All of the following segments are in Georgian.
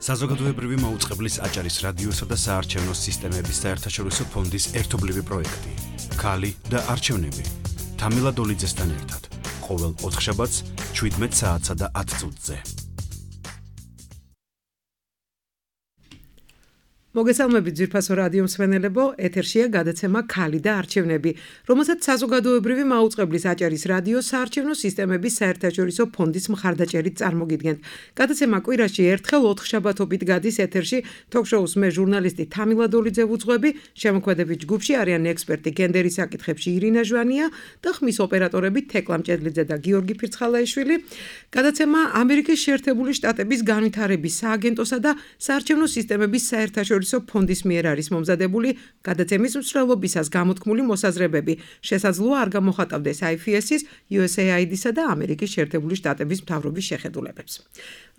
საზოგადოებრივი მაუწყებლის აჭარის რადიოსა და საარჩევნო სისტემების საერთაშორისო ფონდის ერთობლივი პროექტი. ქალი და არჩევნები. თამილა დოლიძესთან ერთად. ყოველ ოთხშაბათს 17 საათსა და 10 წუთზე. მოგესალმებით ძვირფასო რადიო მსმენელებო, ეთერშია გადაცემა ქალი და არჩევნები, რომელსაც საზოგადოებრივი მაუწყებლის აჭარის რადიოს საარჩევნო სისტემების საერთაშორისო ფონდის მხარდაჭერით წარმოგიდგენთ. გადაცემა კვირაში ერთხელ ოთხშაბათობით გადის ეთერში, თოქ-შოუს მე ჟურნალისტი თამილა დოლიძე ვუძღვები, შემოქმედებით ჯგუფში არიან ექსპერტი გენდერის საკითხებში ირინა ჟვანია და ხმის ოპერატორები თეკლა მჭედლიძე და გიორგი ფირცხალაიშვილი. გადაცემა ამერიკის შეერთებული შტატების განვითარების სააგენტოსა და საარჩევნო სისტემების საერთაშორისო ფონდის მიერ არის მომზადებული. გადაცემის მსვლელობისას გამოთქმული მოსაზრებები შესაძლოა არ გამოხატავდეს IFS-ის, USAID-სა და ამერიკის შეერთებული შტატების მთავრობის შეხედულებებს.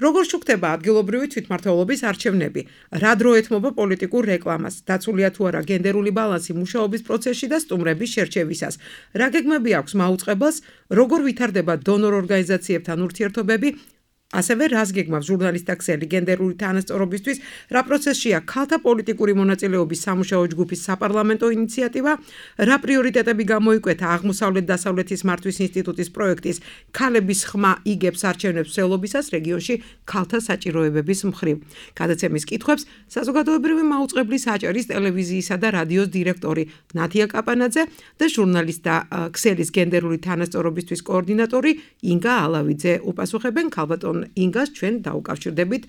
როგორ შუქდება ადგილობრივი თვითმმართველობის არჩევნები? რა დრო ეთმობა პოლიტიკურ რეკლამას? დაცულია თუ არა გენდერული ბალანსი მუშაობის პროცესში და სტუმრების შერჩევისას? რა გეგმები აქვს მაუწყებელს? როგორ ვითარდება დონორ ორგანიზაციებთან ურთიერთობები? ასევე რას გეგმავს ჟურნალისტთა ქსელი გენდერული თანასწორობისთვის, რა პროცესშია ქალთა პოლიტიკური მონაწილეობის სამუშაო ჯგუფის საპარლამენტო ინიციატივა, რა პრიორიტეტები გამოიკვეთა აღმოსავლეთ-დასავლეთის მართვის ინსტიტუტის პროექტის ქალების ხმა იგებს არჩევნებს მსვლელობისას რეგიონში ქალთა საჭიროებების მხრივ. გადაცემის კითხვებს საზოგადოებრივი მაუწყებლის აჭარის ტელევიზიისა და რადიოს დირექტორი ნათია კაპანაძე და ჟურნალისტთა ქსელის გენდერული თანასწორობისთვის კოორდინატორი ინგა ალავიძე უპასუხებენ. ქალბატონ ინგას ჩვენ დაუკავშირდებით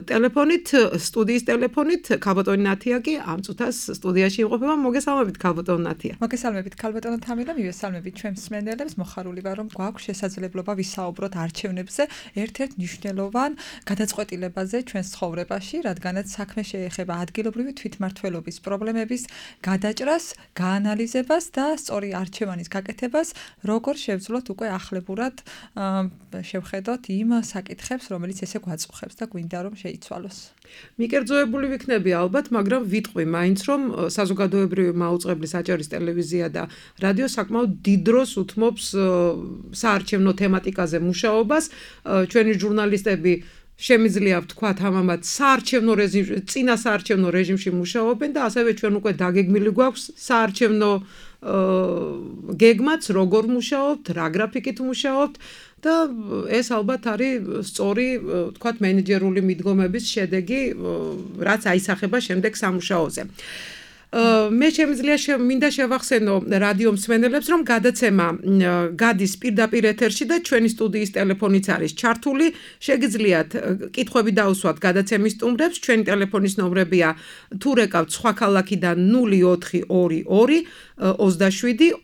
ტელეფონით, სტუდიის ტელეფონით. ქალბატონი ნათია კი ამ წუთას სტუდიაში იმყოფება. მოგესალმებით ქალბატონ ნათია. მოგესალმებით ქალბატონო თამილა, მივესალმებით ჩვენ მსმენელებს. მოხარული ვარ, რომ გვაქვს შესაძლებლობა ვისაუბროთ არჩევნებზე, ერთ-ერთ მნიშვნელოვან გადაწყვეტილებაზე ჩვენს ცხოვრებაში, რადგანაც საქმე შეეხება ადგილობრივი თვითმმართველობის პრობლემების გადაჭრას, გაანალიზებას და სწორი არჩევანის გაკეთებას, როგორ შევძლოთ უკვე ახლებურად შევხედოთ იმ საკითხებს, რომელიც ესე გვაწუხებს და გვინდა რომ შეიცვალოს. მიკერძოებული ვიქნები ალბათ, მაგრამ ვიტყვი მაინც რომ საზოგადოებრივი მაუწყებლის აჭარის ტელევიზია და რადიო საკმაოდ დიდ დროს უთმობს საარჩევნო თემატიკაზე მუშაობას. ჩვენი ჟურნალისტები შემიძლია ვთქვათ ამამად საარჩევნო რეჟიმში, წინა საარჩევნო რეჟიმში მუშაობენ და ასევე ჩვენ უკვე დაგეგმილი გვაქვს საარჩევნო გეგმაც, როგორ მუშაობთ, რა გრაფიკით მუშაობთ. და ეს ალბათ არის სწორი, ვთქვათ, მენეჯერული მიდგომების შედეგი, რაც აისახება შემდეგ სამუშაოზე. მე შემიძლია მინდა შევახსენო რადიო მსმენელებს, რომ გადაცემა გადის პირდაპირ ეთერში და ჩვენი სტუდიის ტელეფონიც არის ჩართული. შეგიძლიათ კითხვები დაუსვათ გადაცემის სტუმრებს. ჩვენი ტელეფონის ნომრებია თუ რეკავთ სხვა ქალაქიდან 0422 27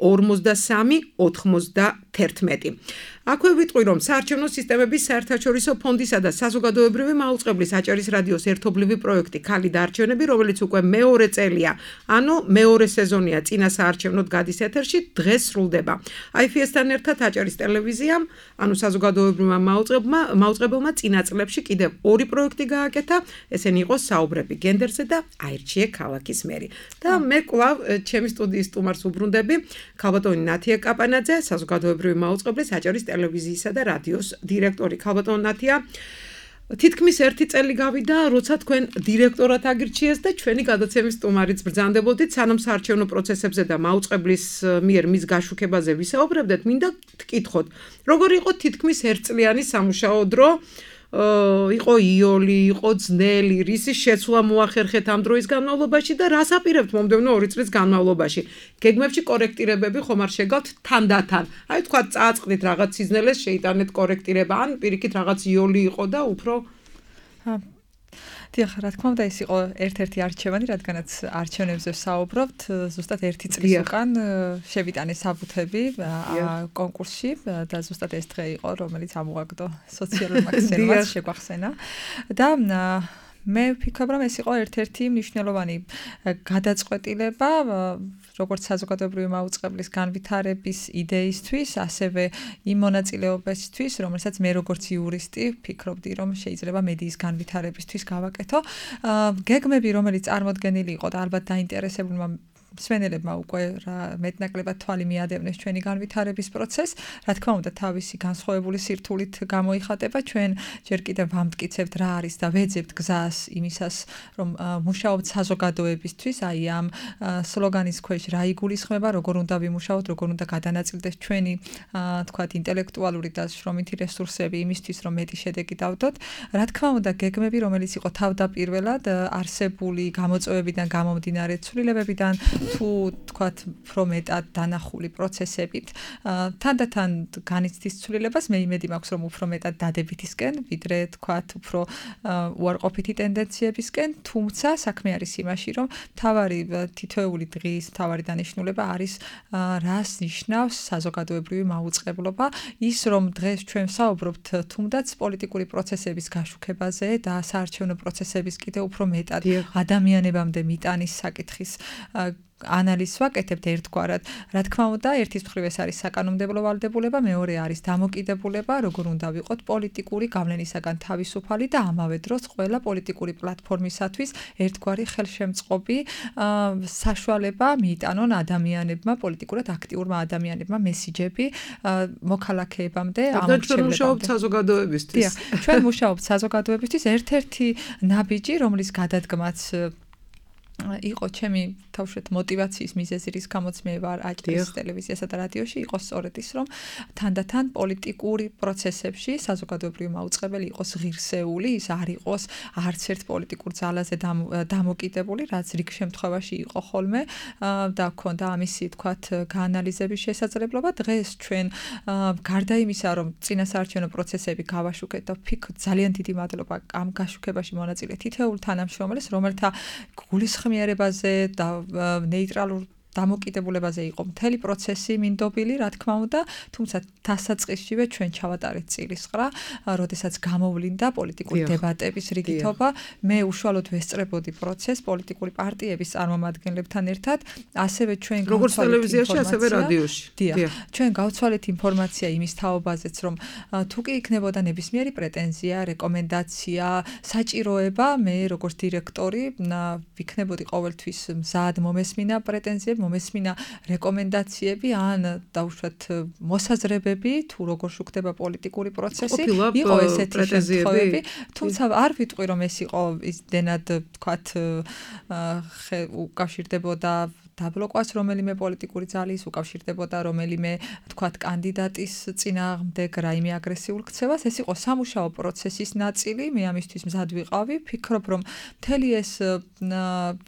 43 91. აქვე ვიტყვი, რომ საარჩევნო სისტემების საერთაშორისო ფონდისა და საზოგადოებრივი მაუწყებლის აჭარის რადიოს ერთობლივი პროექტი ქალი და არჩევნები, რომელიც უკვე მეორე წელია, ანუ მეორე სეზონია წინა საარჩევნოდ გადის ეთერში, დღეს სრულდება. IFS-თან ერთად აჭარის ტელევიზიამ, ანუ საზოგადოებრივმა მაუწყებელმა წინა წლებში კიდევ ორი პროექტი გააკეთა, ესენი იყო საუბრები გენდერზე და აირჩიე ქალაქის მერი. და მე კვლავ ჩემი სტუდიის სტუმარს უბრუნდები, ქალბატონი ნათია კაპანაძე, საზოგადოებრივი მაუწყებლის აჭარის ტელევიზიისა და რადიოს დირექტორი. ქალბატონ ნათია, თითქმის ერთი წელი გავიდა, როცა თქვენ დირექტორად აგირჩიეს და ჩვენი გადაცემის სტუმარიც ბრძანდებოდით, სანამ საარჩევნო პროცესებზე და მაუწყებლის მიერ მის გაშუქებაზე ვისაუბრებდეთ, მინდა გკითხოთ, როგორ იყო თითქმის ერთწლიანი სამუშაო დრო? იყო იოლი, იყო ძნელი, რისი შეცვლა მოახერხეთ ამ დროის განმავლობაში და რას აპირებთ მომდევნო 2 წლის განმავლობაში? გეგმებში კორექტირებები ხომ არ შეგავთ თანდათან? აი თქვა წააწყდით რაღაც სიზნელეს შეიტანეთ კორექტირება, ან პირიქით რაღაც იოლი იყო და უფრო დიახ, რა თქმა უნდა, ეს იყო ერთ-ერთი არჩევანი, რადგანაც არჩევნებზე ვსაუბრობთ, ზუსტად 1 წლის უკან შევიტანე საბუთები კონკურსში და ზუსტად ეს დღე იყო, რომელიც ამოაგდო სოციალურმა ქსელმაც შეგვახსენა და მე ვფიქრობ, რომ ეს იყო ერთ-ერთი მნიშვნელოვანი გადაწყვეტილება, როგორც საზოგადოებრივი მაუწყებლის განვითარების იდეისთვის, ასევე იმ მონაწილეობისთვის, რომელსაც მე როგორც იურისტი ვფიქრობდი, რომ შეიძლება მედიის განვითარებისთვის გავაკეთო. გეგმები, რომელიც წარმოდგენილი იყო და ალბათ დაინტერესებულმა მსმენელებმა უკვე მეტნაკლებად თვალი მიადევნეს ჩვენი განვითარების პროცესს. რა თქმა უნდა, თავისი განსხვავებული სირთულით გამოიხატება. ჩვენ ჯერ კიდევ ვამტკიცებთ რა არის და ვეძებთ გზას იმისას, რომ მუშაობთ საზოგადოებისთვის, აი ამ სლოგანის ქვეშ რა იგულისხმება, როგორ უნდა ვიმუშაოთ, როგორ უნდა გადანაწილდეს ჩვენი თქვათ ინტელექტუალური და შრომითი რესურსები იმისთვის, რომ მეტი შედეგი დავდოთ. რა თქმა უნდა, გეგმები, რომელიც იყო თავდაპირველად არსებული გამოწვევებიდან გამომდინარე ცვლილებებიდან თუ თქვათ უფრო მეტად დანახული პროცესებით, თანდათან განიცდის ცვლილებას, მე იმედი მაქვს, რომ უფრო მეტად დადებითისკენ, ვიდრე თქვათ უფრო უარყოფითი ტენდენციებისკენ, თუმცა საქმე არის იმაში, რომ მთავარი თითოეული დღის მთავარი დანიშნულება არის რას ნიშნავს საზოგადოებრივი მაუწყებლობა, ის რომ დღეს ჩვენ ვსაუბრობთ თუნდაც პოლიტიკური პროცესების გაშუქებაზე და საარჩევნო პროცესების კიდევ უფრო მეტად ადამიანებამდე მიტანის საკითხის ანალიზს ვაკეთებთ ერთგვარად. რა თქმა უნდა, ერთის მხრივ ეს არის საკანონმდებლო ვალდებულება, მეორე არის დამოკიდებულება, როგორ უნდა ვიყოთ პოლიტიკური გავლენისაგან თავისუფალი და ამავე დროს ყველა პოლიტიკური პლატფორმისათვის ერთგვარი ხელშემწყობი საშუალება მიიტანონ ადამიანებმა, პოლიტიკურად აქტიურმა ადამიანებმა მესიჯები მოქალაქეებამდე, ჩვენ მუშაობთ საზოგადოებისთვის. ჩვენ მუშაობთ საზოგადოებისთვის, ერთ-ერთი ნაბიჯი, რომლის გადადგმაც იყო ჩემი თავშეთ მოტივაციის მიზეზი, რის გამოც მე ვარ აჭარის ტელევიზიასა და რადიოში, იყო სწორედ ის, რომ თანდათან პოლიტიკური პროცესებში საზოგადოებრივი მაუწყებელი იყოს ღირსეული, ის არ იყოს არც ერთ პოლიტიკურ ძალაზე დამოკიდებული, რაც რიგ შემთხვევაში იყო ხოლმე და ჰქონდა ამისი თქვათ გაანალიზების შესაძლებლობა. დღეს ჩვენ გარდა იმისა, რომ წინასაარჩევნო პროცესები გავაშუქეთ და ვფიქრობ ძალიან დიდი მადლობა ამ გაშუქებაში მონაწილე თითოეულ თანამშრომელს, რომელთა გულისხმიერებაზე და ნეიტრალურ დამოკიდებულებაზე იყო მთელი პროცესი მინდობილი, რა თქმა უნდა, თუმცა დასაწყისშივე ჩვენ ჩავატარეთ წილისყრა, როდესაც გამოვლინდა პოლიტიკური დებატების რიგითობა, მე უშუალოდ ვესწრებოდი პროცესს პოლიტიკური პარტიების წარმომადგენლებთან ერთად, ასევე ჩვენ როგორც ტელევიზიაში, ასევე რადიოში. ჩვენ გავცვალეთ ინფორმაცია იმის თაობაზეც, რომ თუ კი იქნებოდა ნებისმიერი პრეტენზია, რეკომენდაცია, საჭიროება, მე როგორც დირექტორი ვიქნებოდი ყოველთვის მზად მომესმინა პრეტენზიები, მომესმინა რეკომენდაციები ან დაუშვათ მოსაზრებები, თუ როგორ შუქდება პოლიტიკური პროცესი, იყო ესეთი შემთხვევები, თუმცა არ ვიტყვი, რომ ეს იყო ისდენად თქვათ უკავშირდებოდა დაბლოკვას რომელიმე პოლიტიკური ძალის, უკავშირდებოდა რომელიმე თქვათ კანდიდატის წინააღმდეგ რაიმე აგრესიულ ქცევას, ეს იყო სამუშაო პროცესის ნაწილი, მე ამისთვის მზად ვიყავი, ვფიქრობ, რომ მთელი ეს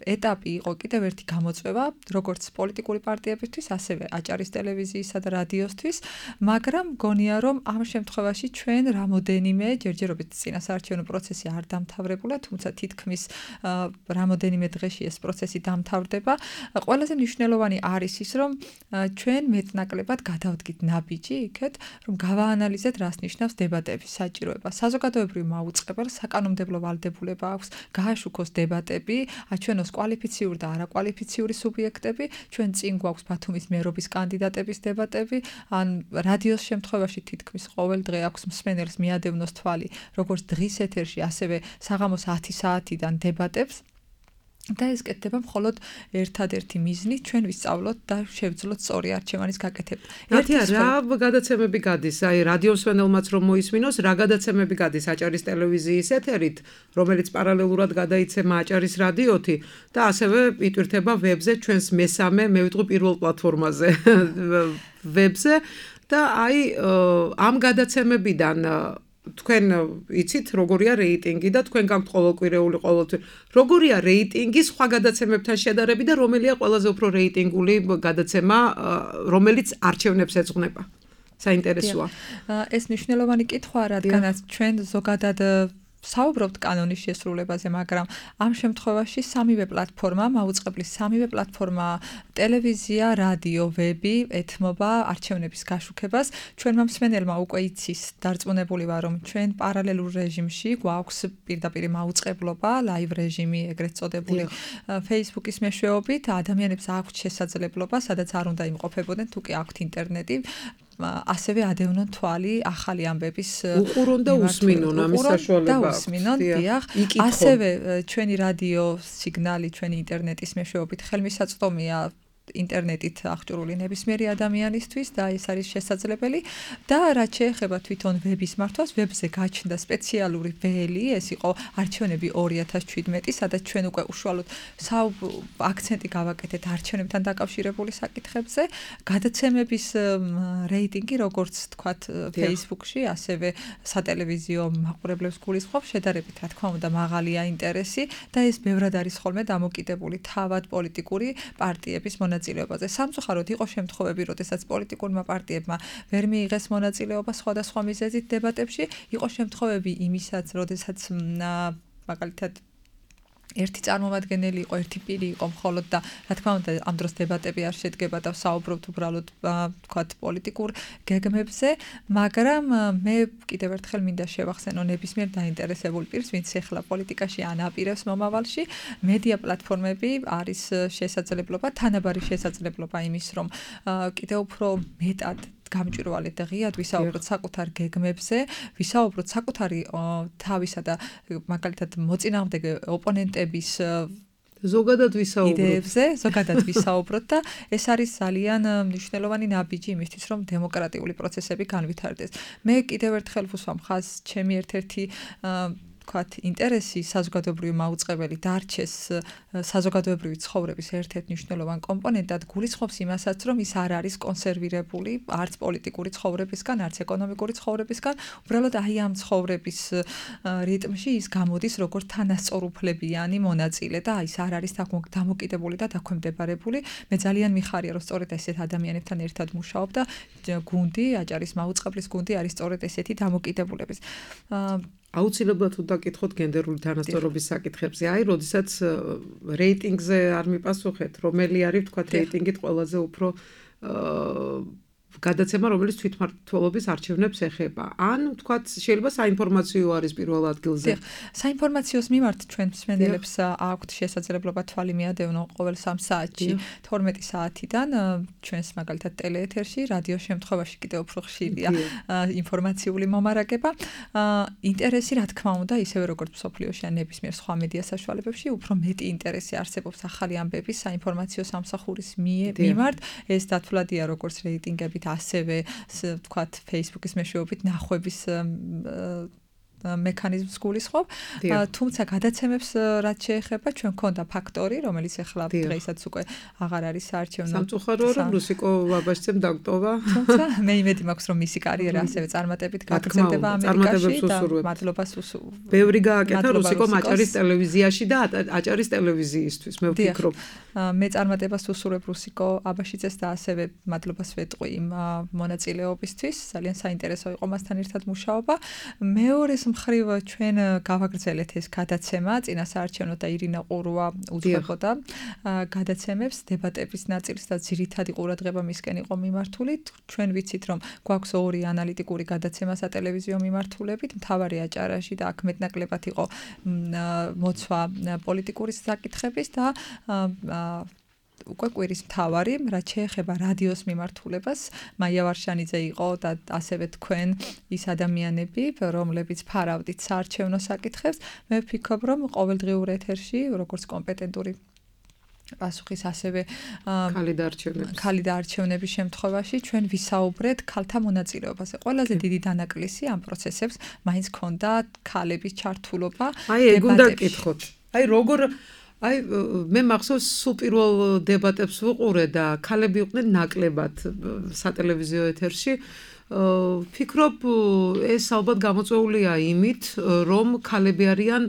ეტაპი იყო კიდევ ერთი გამოწვევა, როგორც პოლიტიკური პარტიებისთვის, ასევე აჭარის ტელევიზიისა და რადიოსთვის, მაგრამ მგონია, რომ ამ შემთხვევაში ჩვენ რამოდენიმე ჯერჯერობით წინასაარჩევნო პროცესი არ დამთავრებულა, თუმცა თითქმის რამოდენიმე დღეში ეს პროცესი დამთავრდება. ყველაზე მნიშვნელოვანი არის ის, რომ ჩვენ მეტნაკლებად გადავდგით ნაბიჯი იქეთ, რომ გავაანალიზეთ, რას ნიშნავს დებატების საჭიროება. საზოგადოებრივ მაუწყებელს საკანონმდებლო ვალდებულება აქვს გააშუქოს დებატები, აჩვენოს კვალიფიციური და არაკვალიფიციური სუბიექტები, ჩვენ წინ გვაქვს ბათუმის მერობის კანდიდატების დებატები, ან რადიოს შემთხვევაში თითქმის ყოველ დღე აქვს მსმენელს მიადევნოს თვალი, როგორც დღის ეთერში, ასევე საღამოს 10 საათიდან დებატებს. და ეს კეთდება მხოლოდ ერთადერთი მიზნით, ჩვენ ვისწავლოთ და შევძლოთ სწორი არჩევანის გაკეთება. რა გადაცემები გადის, აი რადიოს მსმენელმაც რომ მოისმინოს, რა გადაცემები გადის აჭარის ტელევიზიის ეთერით, რომელიც პარალელურად გადაიცემა აჭარის რადიოთი და ასევე იტვირთება ვებზე ჩვენს მესამე, მე ვიტყვი პირველ პლატფორმაზე ვებზე და აი ამ გადაცემებიდან თქვენ იცით როგორია რეიტინგი და თქვენ გაქვთ ყოველკვირეული ყოველთვის როგორია რეიტინგი სხვა გადაცემებთან შედარებით და რომელია ყველაზე უფრო რეიტინგული გადაცემა რომელიც არჩევნებს ეძღვნება საინტერესოა ეს მნიშვნელოვანი კითხვაა რადგანაც ჩვენ ზოგადად საუბრობთ კანონის შესრულებაზე, მაგრამ ამ შემთხვევაში სამივე პლატფორმა, მაუწყებლის სამივე პლატფორმა, ტელევიზია, რადიო, ვები ეთმობა არჩევნების გაშუქებას. ჩვენმა მსმენელმა უკვე იცის დარწმუნებული ვარ, რომ ჩვენ პარალელურ რეჟიმში გვაქვს პირდაპირ მაუწყებლობა, ლაივ რეჟიმი, ეგრეთ წოდებული Facebook-ის მეშვეობით, ადამიანებს აქვთ შესაძლებლობა, სადაც არ უნდა იმყოფებოდნენ, თუ კი აქვთ ინტერნეტი. ასევე ადევნონ თვალი ახალი ამბების უყურონ და უსმინონ ამის საშუალება აქვს. უსმინონ, დიახ. ასევე ჩვენი რადიო სიგნალი, ჩვენი ინტერნეტის მეშვეობით ხელმისაწვდომია ინტერნეტით აღჭურვილი ნებისმიერი ადამიანისთვის და ეს არის შესაძლებელი და რაც შეეხება თვითონ ვების მართვას, ვებზე გაჩნდა სპეციალური ველი, ეს იყო არჩევნები 2017, სადაც ჩვენ უკვე უშუალოდ აქცენტი გავაკეთეთ არჩევნებთან დაკავშირებული საკითხებზე, გადაცემების რეიტინგი, როგორც თქვათ, Facebook-ში, ასევე სატელევიზიო მაყურებლებს გულისხმობს, შედარებით, რა თქმა უნდა, მაღალია ინტერესი და ეს ბევრად არის ხოლმე დამოკიდებული თავად პოლიტიკური პარტიების მონაწილეობაზე. სამწუხაროდ იყო შემთხვევები, როდესაც პოლიტიკურმა პარტიებმა ვერ მიიღეს მონაწილეობა სხვადასხვა მიზეზით დებატებში, იყო შემთხვევები იმისაც, როდესაც მაგალითად ერთი წარმომადგენელი იყო, ერთი პირი იყო მხოლოდ და რა თქმა უნდა ამ დროს დებატები არ შედგება და საუბრობთ უბრალოდ თქვათ პოლიტიკურ გეგმებზე, მაგრამ მე კიდევ ერთხელ მინდა შევახსენო ნებისმიერ დაინტერესებულ პირს, ვინც ახლა პოლიტიკაში ანაპირებს მომავალში, მედია პლატფორმები არის შესაძლებლობა, თანაბარი შესაძლებლობა იმის, რომ კიდევ უფრო მეტად გამჭვირვალედ და ღიად ვისაუბროთ საკუთარ გეგმებზე, ვისაუბროთ საკუთარი თავისა და მაგალითად მოწინააღმდეგე ოპონენტების ზოგადად ვისაუბროთ და ეს არის ძალიან მნიშვნელოვანი ნაბიჯი იმისთვის, რომ დემოკრატიული პროცესები განვითარდეს. მე კიდევ ერთხელ ვუსვამ ხაზს, ჩემი ერთ-ერთი ვთქვათ, ინტერესი საზოგადოებრივი მაუწყებელი დარჩეს საზოგადოებრივი ცხოვრების ერთ-ერთ მნიშვნელოვან კომპონენტად, გულისხმობს იმასაც, რომ ის არ არის კონსერვირებული არც პოლიტიკური ცხოვრებისგან, არც ეკონომიკური ცხოვრებისგან, უბრალოდ აი ამ ცხოვრების რიტმში ის გამოდის როგორც თანასწორუფლებიანი მონაწილე და ის არ არის დამოკიდებული და დაქვემდებარებული. მე ძალიან მიხარია, რომ სწორედ ესეთ ადამიანებთან ერთად მუშაობ და გუნდი, აჭარის მაუწყებლის გუნდი არის სწორედ ესეთი დამოკიდებულების. აუცილებლად თუ დაკითხოთ გენდერული თანასწორობის საკითხებზე. აი, როდესაც რეიტინგზე არ მიპასუხეთ, რომელი არის, თქვათ, რეიტინგით ყველაზე უფრო გადაცემა, რომელიც თვითმმართველობის არჩევნებს ეხება. ან, თქვათ, შეიძლება საინფორმაციო არის პირველ ადგილზე. საინფორმაციოს მიმართ ჩვენ მსმენელებს აქვთ შესაძლებლობა თვალი მიადევნონ ყოველ 3 საათში, 12 საათიდან ჩვენს მაგალითად ტელეეთერში, რადიოს შემთხვევაში კიდევ უფრო ხშირია ინფორმაციული მომარაგება. ინტერესი, რა თქმა უნდა, ისევე როგორც მსოფლიოში ან ნებისმიერ სხვა მედია საშუალებებში, უფრო მეტი ინტერესი არსებობს ახალი ამბების საინფორმაციო სამსახურის მიმართ. ეს დათვლადია როგორც რეიტინგებით, ასევე ვთქვათ Facebook-ის მეშვეობით ნახვების მექანიზმს გულისხმობ, თუმცა გადაცემებს რაც შეეხება, ჩვენ გქონდა ფაქტორი, რომელიც ახლა დღეისაც უკვე აღარ არის საარჩევნო. სამწუხაროა, რომ რუსიკო ვაბაშცემ დაგტოვა. თუმცა მე იმედი მაქვს, რომ მისი კარიერა ასევე წარმატებით გაგრძელდება ამერიკაში და მადლობას ბევრი გააკეთა რუსიკომ აჭარის ტელევიზიაში და აჭარის ტელევიზიისთვის, მე ვფიქრობ. მე წარმატებას უსურვებ რუსიკო აბაშიძეს და ასევე მადლობას ვეტყვი იმ მონაწილეობისთვის. ძალიან საინტერესო იყო მასთან ერთად მუშაობა. მეორეს მხრივ ჩვენ გავაგრძელეთ ეს გადაცემა, წინასაარჩევნო და ირინა ყურვა უძღვებოდა გადაცემებს, დებატების ნაწილს და ძირითადი ყურადღება მისკენ იყო მიმართული. ჩვენ ვიცით, რომ გვაქვს 2 ანალიტიკური გადაცემა სატელევიზიო მიმართულებით, მთავარი აჭარაში და აქ მეტნაკლებად იყო მოცვა პოლიტიკური საკითხების და უკვე კვირის მთავარი, რაც შეეხება რადიოს მიმართულებას, მაია ვარშანიძე იყო და ასევე თქვენ ის ადამიანები, რომლებიც ფარავდით საარჩევნო საკითხებს. მე ვფიქრობ, რომ ყოველდღიურ ეთერში, როგორც კომპეტენტური პასუხის ასევე ქალი და არჩევნების შემთხვევაში ჩვენ ვისაუბრეთ ქალთა მონაწილეობაზე. ყველაზე დიდი დანაკლისი ამ პროცესებს მაინც ჰქონდა ქალების ჩართულობა. აი, ეგ უნდა გკითხოთ. აი, როგორ მე მახსოვს სულ პირველ დებატებს ვუყურე და ქალები იყვნენ ნაკლებად სატელევიზიო ეთერში. ვფიქრობ, ეს ალბათ გამოწვეულია იმით, რომ ქალები არიან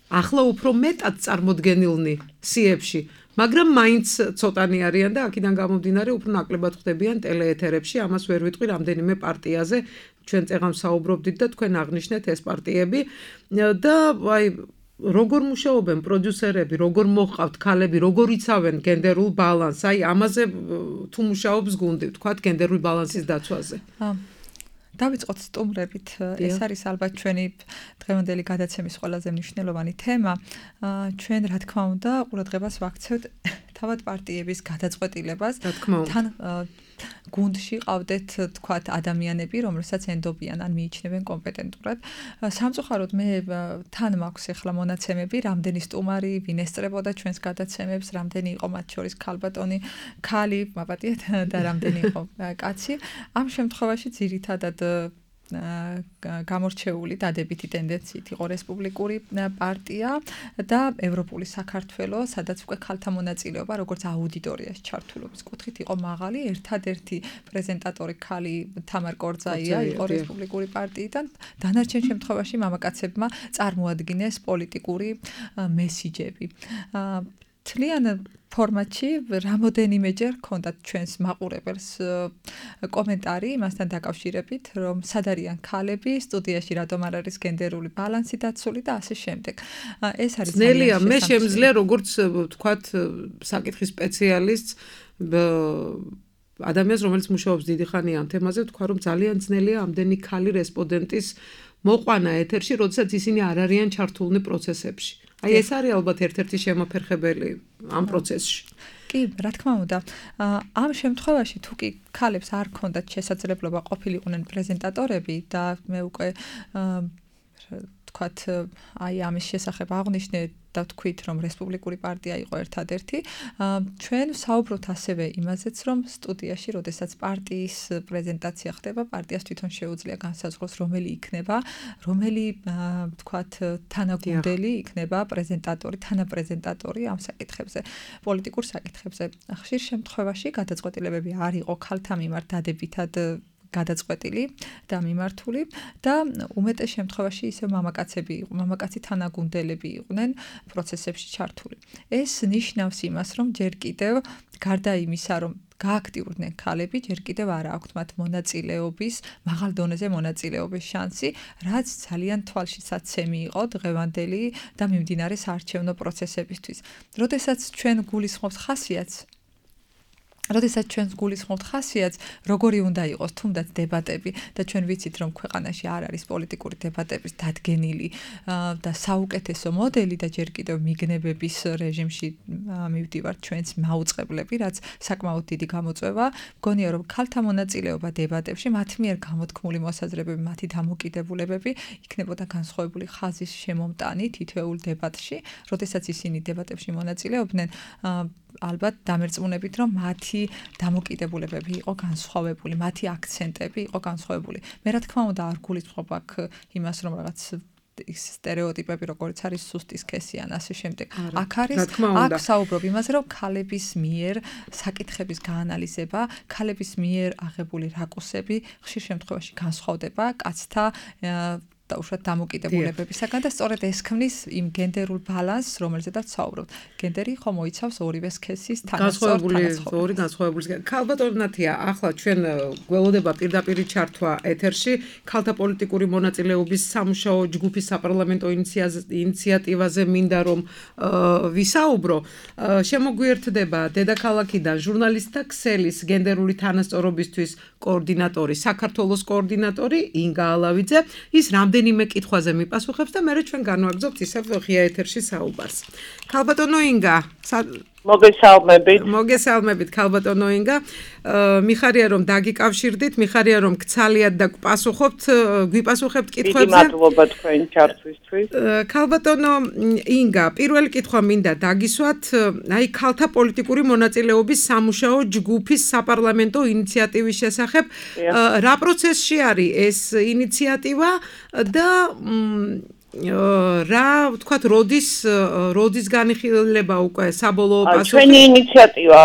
ახლა უფრო მეტად წარმოდგენილნი სიებში, მაგრამ მაინც ცოტანი არიან და აქედან გამომდინარე უფრო ნაკლებად ხდებიან ტელეეთერებში. ამას ვერ ვიტყვი რამდენიმე პარტიაზე. ჩვენ წეღან საუბრობდით და თქვენ აღნიშნეთ ეს პარტიები და აი როგორ მუშაობენ პროდიუსერები, როგორ მოჰყავთ ქალები, როგორ იცავენ გენდერულ ბალანსს? აი, ამაზე თუ მუშაობს გუნდი, ვთქვათ, გენდერული ბალანსის დაცვაზე. დავიწყოთ სტუმრებით. ეს არის ალბათ ჩვენი დღევანდელი გადაცემის ყველაზე მნიშვნელოვანი თემა. ჩვენ, რა თქმა უნდა, ყურადღებას ვაქცევთ თავად პარტიების გადაწყვეტილებას თან გუნდში ყავდეთ თქვათ ადამიანები, რომელსაც ენდობიან ან მიიჩნევენ კომპეტენტურად. სამწუხაროდ მე თან მაქვს ახლა მონაცემები, რამდენი სტუმარი ვინ ესწრებოდა ჩვენს გადაცემებს, რამდენი იყო მათ შორის ქალბატონი, ქალი, მაპატიეთ და რამდენი იყო კაცი. ამ შემთხვევაში ძირითადად გამორჩეული დადებითი ტენდენციით იყო რესპუბლიკური პარტია და ევროპული საქართველო, სადაც უკვე ქალთა მონაწილეობა როგორც აუდიტორიაში ჩართულობის კუთხით იყო მაღალი. ერთადერთი პრეზენტატორი ქალი თამარ კორძაია იყო რესპუბლიკური პარტიიდან. დანარჩენ შემთხვევაში მამაკაცებმა წარმოადგინეს პოლიტიკური მესიჯები. თლიან ფორმატში რამოდენიმეჯერ ჰქონდათ ჩვენს მაყურებელს კომენტარი იმასთან დაკავშირებით, რომ სად არიან ქალები, სტუდიაში რატომ არ არის გენდერული ბალანსი დაცული და ასე შემდეგ. ეს არის ძნელია, მე შემიძლია როგორც ვთქვათ, საკითხის სპეციალისტს ადამიანს, რომელიც მუშაობს დიდი ხანი ამ თემაზე, ვთქვა, რომ ძალიან ძნელია ამდენი ქალი რესპონდენტის მოყვანა ეთერში, როდესაც ისინი არ არიან ჩართულნი პროცესებში. აი ეს არის ალბათ ერთ-ერთი შემოფერხებელი ამ პროცესში. კი, რა თქმა უნდა. ამ შემთხვევაში თუ კი ქალებს არ ქონდათ შესაძლებლობა ყოფილიყვნენ პრეზენტატორები და მე უკვე თქვათ, აი ამის შესახებ აღვნიშნე და თქვით, რომ რესპუბლიკური პარტია იყო ერთადერთი. ჩვენ საუბრობთ ასევე იმაზეც, რომ სტუდიაში, როდესაც პარტიის პრეზენტაცია ხდება, პარტიას თვითონ შეუძლია განსაზღვროს, რომელი იქნება, რომელი თქვათ, თანაგუნდელი იქნება პრეზენტატორი, თანაპრეზენტატორი ამ საკითხებზე, პოლიტიკურ საკითხებზე. ხშირ შემთხვევაში გადაწყვეტილებები არ იყო ქალთა მიმართ დადებითად გადაწყვეტილი და მიმართული და უმეტეს შემთხვევაში ისე მამაკაცი თანაგუნდელები იყვნენ პროცესებში ჩართული. ეს ნიშნავს იმას, რომ ჯერ კიდევ გარდა იმისა, რომ გააქტიურდნენ ქალები, ჯერ კიდევ არ აქვთ მათ მონაწილეობის, მაღალ დონეზე მონაწილეობის შანსი, რაც ძალიან თვალშისაცემი იყო დღევანდელი და მიმდინარე საარჩევნო პროცესებისთვის. როდესაც ჩვენ გულისხმობთ ხასიათს, როგორი უნდა იყოს თუნდაც დებატები და ჩვენ ვიცით, რომ ქვეყანაში არ არის პოლიტიკური დებატების დადგენილი და საუკეთესო მოდელი და ჯერ კიდევ მიგნებების რეჟიმში მივდივართ ჩვენც მაუწყებლები, რაც საკმაოდ დიდი გამოწვევა. მგონია, რომ ქალთა მონაწილეობა დებატებში, მათ მიერ გამოთქმული მოსაზრებები, მათი დამოკიდებულებები იქნებოდა განსხვავებული ხაზის შემომტანი თითოეულ დებატში, როდესაც ისინი დებატებში მონაწილეობდნენ, ალბათ დამერწმუნებით, რომ მათი დამოკიდებულებები იყო განსხვავებული, მათი აქცენტები იყო განსხვავებული. მე რა თქმა უნდა არ გულისხმობ აქ იმას, რომ რაღაც სტერეოტიპები, როგორც არის სუსტი სქესი ან ასე შემდეგ. აქ საუბრობ იმაზე, რომ ქალების მიერ საკითხების გაანალიზება, ქალების მიერ აღებული რაკურსები ხშირ შემთხვევაში განსხვავდება კაცთა და უშუალოდ დამოკიდებულებებისაგან და სწორედ ეს ქმნის იმ გენდერულ ბალანსს, რომელზედაც საუბრობთ. გენდერი ხომ მოიცავს ორივე სქესის ორი განსხვავებული. ქალბატონათია, ახლა ჩვენ გველოდება პირდაპირ ჩართვა ეთერში ქალთა პოლიტიკური მონაწილეობის სამუშაო ჯგუფის საპარლამენტო ინიციატივაზე მინდა რომ ვისაუბრო. შემოგვიერთდება დედაქალაქიდან ჟურნალისტთა ქსელის გენდერული თანასწორობისთვის კოორდინატორი, საქართველოს კოორდინატორი ინგა ალავიძე. ის რამდენიმე კითხვაზე მიპასუხებს და მერე ჩვენ განვაგრძობთ ისევ ღია ეთერში საუბარს. ქალბატონო ინგა, მოგესალმებით ქალბატონო ინგა. მიხარია რომ დაგიკავშირდით, მიხარია რომ გცალიათ და გვიპასუხებთ კითხვებზე. მადლობა თქვენი ჩართვისთვის. ქალბატონო ინგა, პირველი კითხვა მინდა დაგისვათ, აი ქალთა პოლიტიკური მონაწილეობის სამუშაო ჯგუფის საპარლამენტო ინიციატივის შესახებ. რა პროცესში არის ეს ინიციატივა და რა ვთქვათ, როდის განიხილება უკვე საბოლოო პასუხი? ჩვენი ინიციატივა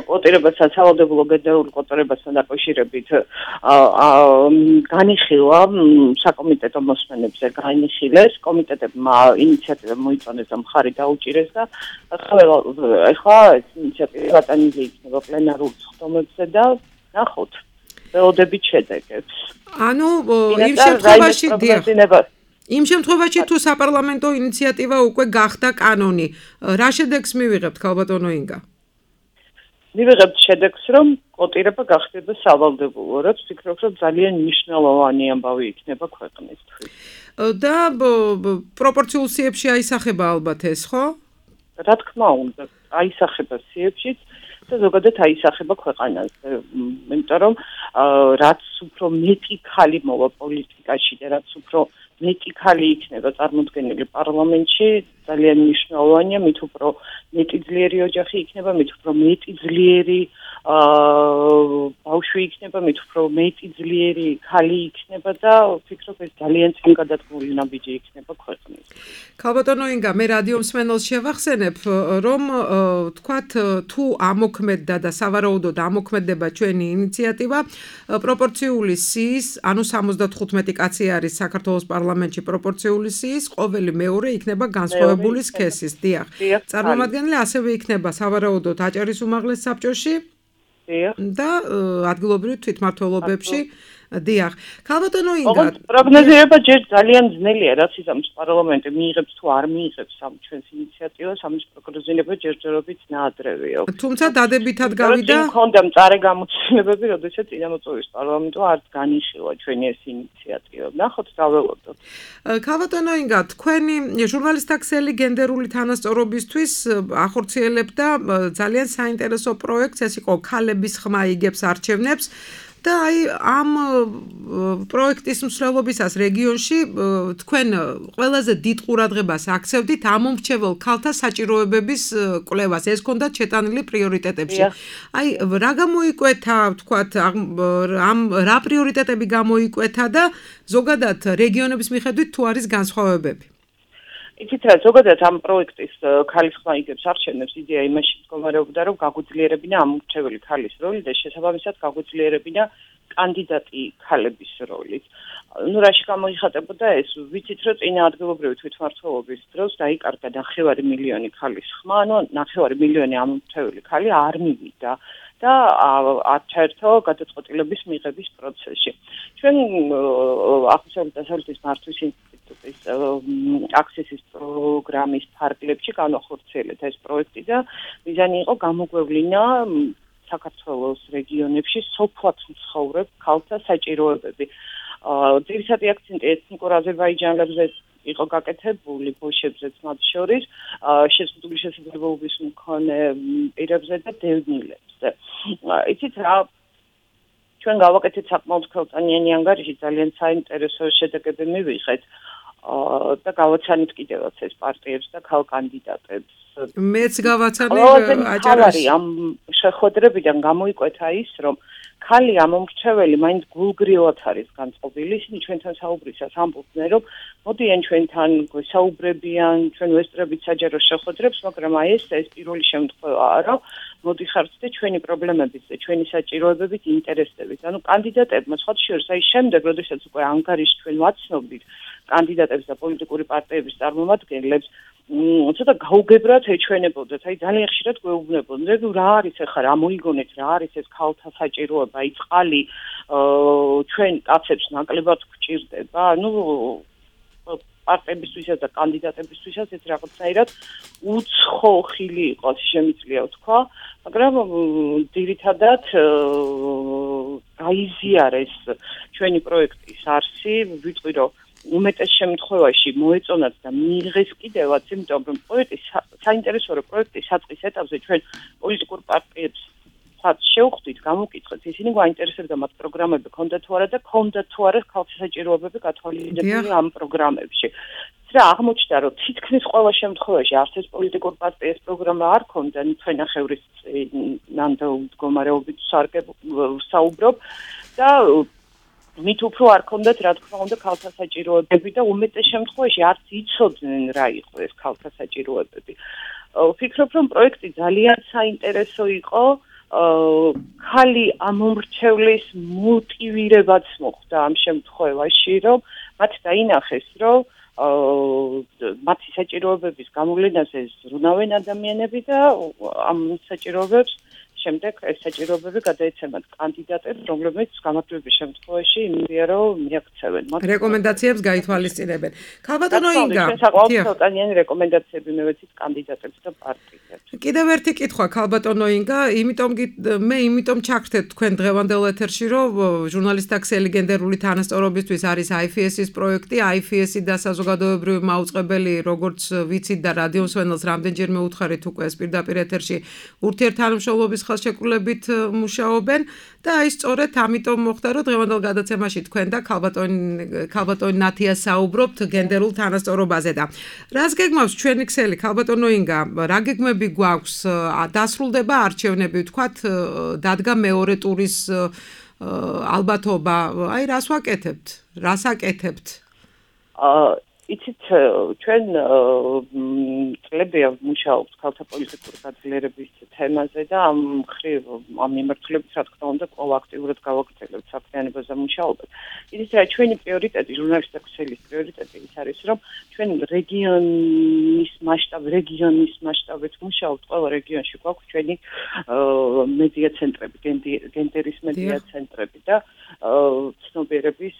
კვოტირებასთან, სავალდებულო გენდერულ კვოტირებასთან დაკავშირებით განიხილა საკომიტეტო მოსმენებზე განიხილეს, კომიტეტებმა ინიციატივა მოიწონეს და მხარი დაუჭირეს და ახლა ეს ინიციატივა გატანილი იქნება პლენარულ სხდომებზე და ნახოთ, ველოდებით შედეგებს. ანუ იმ შემთხვევაში თუ საპარლამენტო ინიციატივა უკვე გახდა კანონი, რა შედეგს მივიღებთ ქალბატონო ინგა? მივიღებთ შედეგს, რომ კვოტირება გახდება სავალდებულო, რაც ვფიქრობ, რომ ძალიან მნიშვნელოვანი ამბავი იქნება ქვეყნისთვის. და პროპორციულ სიებში აისახება ალბათ ეს, ხო? რა თქმა უნდა. აისახება სიებშიც და ზოგადად აისახება ქვეყანაზე. იმიტომ რომ რაც უფრო მეტი ხალი მოვა პოლიტიკაში და რაც უფრო მეტი ხალი იქნება წარმოდგენილი პარლამენტში, ძალიან მნიშვნელოვანია, მით უფრო მეტი ძლიერი ოჯახი იქნება, მით უფრო მეტი ძლიერი ბავშვი იქნება, მით უფრო მეტი ძლიერი ხალი იქნება და ვფიქრობ ეს ძალიან წინ გადადგმული ნაბიჯი იქნება ქვეყნის. ქალბატონო ინგა, მე რადიო მსმენელს შევახსენებ, რომ თქვათ თუ ამოქმედდა და სავარაუდოდ ამოქმედება ჩვენი ინიციატივა, პროპორციული სიის, ანუ 75 კაცი არის საქართველოს პარლამენტში პროპორციული სიის, ყოველი მეორე იქნება განსხვავებული სქესის. დიახ. წარმომადგენელი ასევე იქნება სავარაუდოდ აჭარის უმაღლეს საბჭოში და ადგილობრივ თვითმმართველობებში. დიახ. ქალბატონო ინგა, პროგნოზირება ჯერ ძალიან ძნელია, რაც იზამს პარლამენტი მიიღებს თუ არ მიიღებს ამ ჩვენს ინიციატივას, ამის პროგნოზირება ჯერჯერობით ნაადრევია. თუმცა დადებითად გავიდა. მქონდა მწარე გამოცდილებები, როდესაც წინამოწვევის პარლამენტო არ განიხილა ჩვენი ეს ინიციატივა. ნახოთ, დაველოდოთ. ქალბატონო ინგა, თქვენი ჟურნალისტთა ქსელი გენდერული თანასწორობისთვის ახორციელებდა ძალიან საინტერესო პროექტს, ეს იყო ქალების ხმა იგებს არჩევნებს. და აი ამ პროექტის მსვლელობისას რეგიონში თქვენ ყველაზე დიდ ყურადღებას აქცევდით ამომრჩეველ ქალთა საჭიროებების კვლევას. ეს ჰქონდათ შეტანილი პრიორიტეტებში. აი რა გამოიკვეთა, თქვათ, რა პრიორიტეტები გამოიკვეთა და ზოგადად რეგიონების მიხედვით თუ არის განსხვავებები? იცით რა, ზოგადად ამ პროექტის ქალის ხმა იგებს არჩევნებს იდეა იმაში მდგომარეობდა, რომ გაგვიძლიერებინა ამომრჩეველი ქალის როლი და შესაბამისად გაგვიძლიერებინა კანდიდატი ქალების როლით. ნუ რაში გამოიხატებოდა ეს? ვიცით რომ წინა ადგილობრივი თვითმმართველობის დროს დაიკარგა 9 მილიონი ქალის ხმა, ანუ 9 მილიონი ამომრჩეველი ქალი არ მივიდა და არჩერთო გადაწყვეტილების მიღების პროცესში. ჩვენ აღმოსავლეთ დასავლეთის მართვის ინსტიტუტის აქსესის პროგრამის ფარგლებში განახორციელეთ ეს პროექტი და მიზანი იყო გამოგვევლინა საქართველოს რეგიონებში სოფლად მცხოვრებ ქალთა საჭიროებები. ძირითადი აქცენტი ეთნიკურ აზერბაიჯანელებზე იყო გაკეთებული, ბოშებზეც მათ შორის, შეზღუდული შესაძლებლობის მქონე პირებზე და დევნილებზე. იცით რა, ჩვენ გავაკეთეთ საკმაოდ ხელწანიანი ანგარიში, ძალიან საინტერესო შედეგები მივიღეთ და გავაცანით კიდევაც ეს პარტიებს და ქალ კანდიდატებს. მეც გავაცანე აჭარაში. ამ შეხვედრებიდან გამოიკვეთა ის, რომ ქალი ამომრჩეველი მაინც გულგრილად არის განწყობილი. ისინი ჩვენთან საუბრისას ამბობდნენ, რომ მოდიან ჩვენთან საუბრებიან, ჩვენ ვესწრებით საჯარო შეხვედრებს, მაგრამ აი ეს პირველი შემთხვევაა, რომ მოდიხართ და ჩვენი პრობლემებით და ჩვენი საჭიროებებით ინტერესდებით. ანუ კანდიდატებმა სხვა შორის აი შემდეგ, როდესაც უკვე ანგარიში ჩვენ ვაცნობდით კანდიდატებს და პოლიტიკური პარტიების წარმომადგენლებს, ცოტა გაუგებრად ეჩვენებოდეთ. აი ძალიან ხშირად გვეუბნებოდნენ, რომ რა არის ახლა, რა მოიგონეთ, რა არის ეს ქალთა საჭიროება, აი წყალი ჩვენ კაცებს ნაკლებად გვჭირდება. ნუ პარტიებისთვისაც და კანდიდატებისთვისაც ეს რაღაცნაირად უცხო ხილი იყოს, შემიძლია ვთქვა, მაგრამ ძირითადად გაიზიარეს ჩვენი პროექტის არსი, ვიტყვი რომ უმეტეს შემთხვევაში მოეწონათ და მიიღეს კიდევაც, იმიტომ რომ საინტერესო რომ პროექტის საწყის ეტაპზე ჩვენ პოლიტიკურ პარტიებს შევხვდით, გამოვკითხეთ, ისინი გვაინტერესებდა მათ პროგრამები ქონდა თუ არა და ქონდა თუ არა ქალთა საჭიროებები გათვალისწინებული ამ პროგრამებში. რა აღმოჩნდა, რომ თითქმის ყველა შემთხვევაში არც ეს პოლიტიკურ პარტიის პროგრამა არ ქონდა, ჩვენახევრის ნამდვილ მდგომარეობით საუბრობ და მით უფრო არ ქონდათ, რა თქმა უნდა, ქალთა საჭიროებები და უმეტეს შემთხვევაში არც იცოდნენ რა იყო ეს ქალთა საჭიროებები. ვფიქრობ, რომ პროექტი ძალიან საინტერესო იყო. ქალი ამომრჩევლის მოტივირებაც მოხდა ამ შემთხვევაში, რომ მათ დაინახეს, რომ მათი საჭიროებების გამოვლენაზე ზრუნავენ ადამიანები და ამ საჭიროებებს შემდეგ ეს საჭიროებები გადაეცემათ კანდიდატებს, რომლებიც გამარჯვების შემთხვევაში იმედია რომ მიაქცევენ მათ რეკომენდაციებს გაითვალისწინებენ. ქალბატონო ინგა, საკუთარი რეკომენდაციები მივეცით კანდიდატებს და პარტიებს. კიდევ ერთი კითხვა ქალბატონო ინგა, მე იმიტომ ჩაგხდეთ თქვენ დღევანდელ ეთერში, რომ ჟურნალისტთა ქსელი გენდერული თანასწორობისთვის არის IFS-ის პროექტი, IFS-ი და საზოგადოებრივი მაუწყებელი, როგორც ვიცით და რადიო მსმენელს რამდენჯერმე უთხარით უკვე ეს პირდაპირ ეთერში ურთიერთთანამშრომლობის ხელშეკრულებით მუშაობენ და აი სწორედ ამიტომ მოხდა რომ დღევანდელ გადაცემაში თქვენ და ქალბატონი ნათია საუბრობთ გენდერულ თანასწორობაზე და რას გეგმავს ჩვენი ქსელი ქალბატონო ინგა რა გეგმები გვაქვს დასრულდება არჩევნები ვთქვათ დადგა მეორე ტურის ალბათობა აი რას ვაკეთებთ რას აკეთებთ იცით ჩვენ წლებია ვმუშაობთ ქალთა პოლიტიკური გაძლიერების თემაზე და ამ მიმართულებით რა თქმა უნდა კვლავ აქტიურად გავაგრძელებთ საქმიანობაზე მუშაობას. იცით რა ჩვენი პრიორიტეტი ჟურნალისტთა ქსელის პრიორიტეტი ის არის რომ ჩვენ რეგიონის მასშტაბით მუშაობთ ყველა რეგიონში გვაქვს ჩვენი მედია ცენტრები გენდერის მედია ცენტრები და ცნობიერების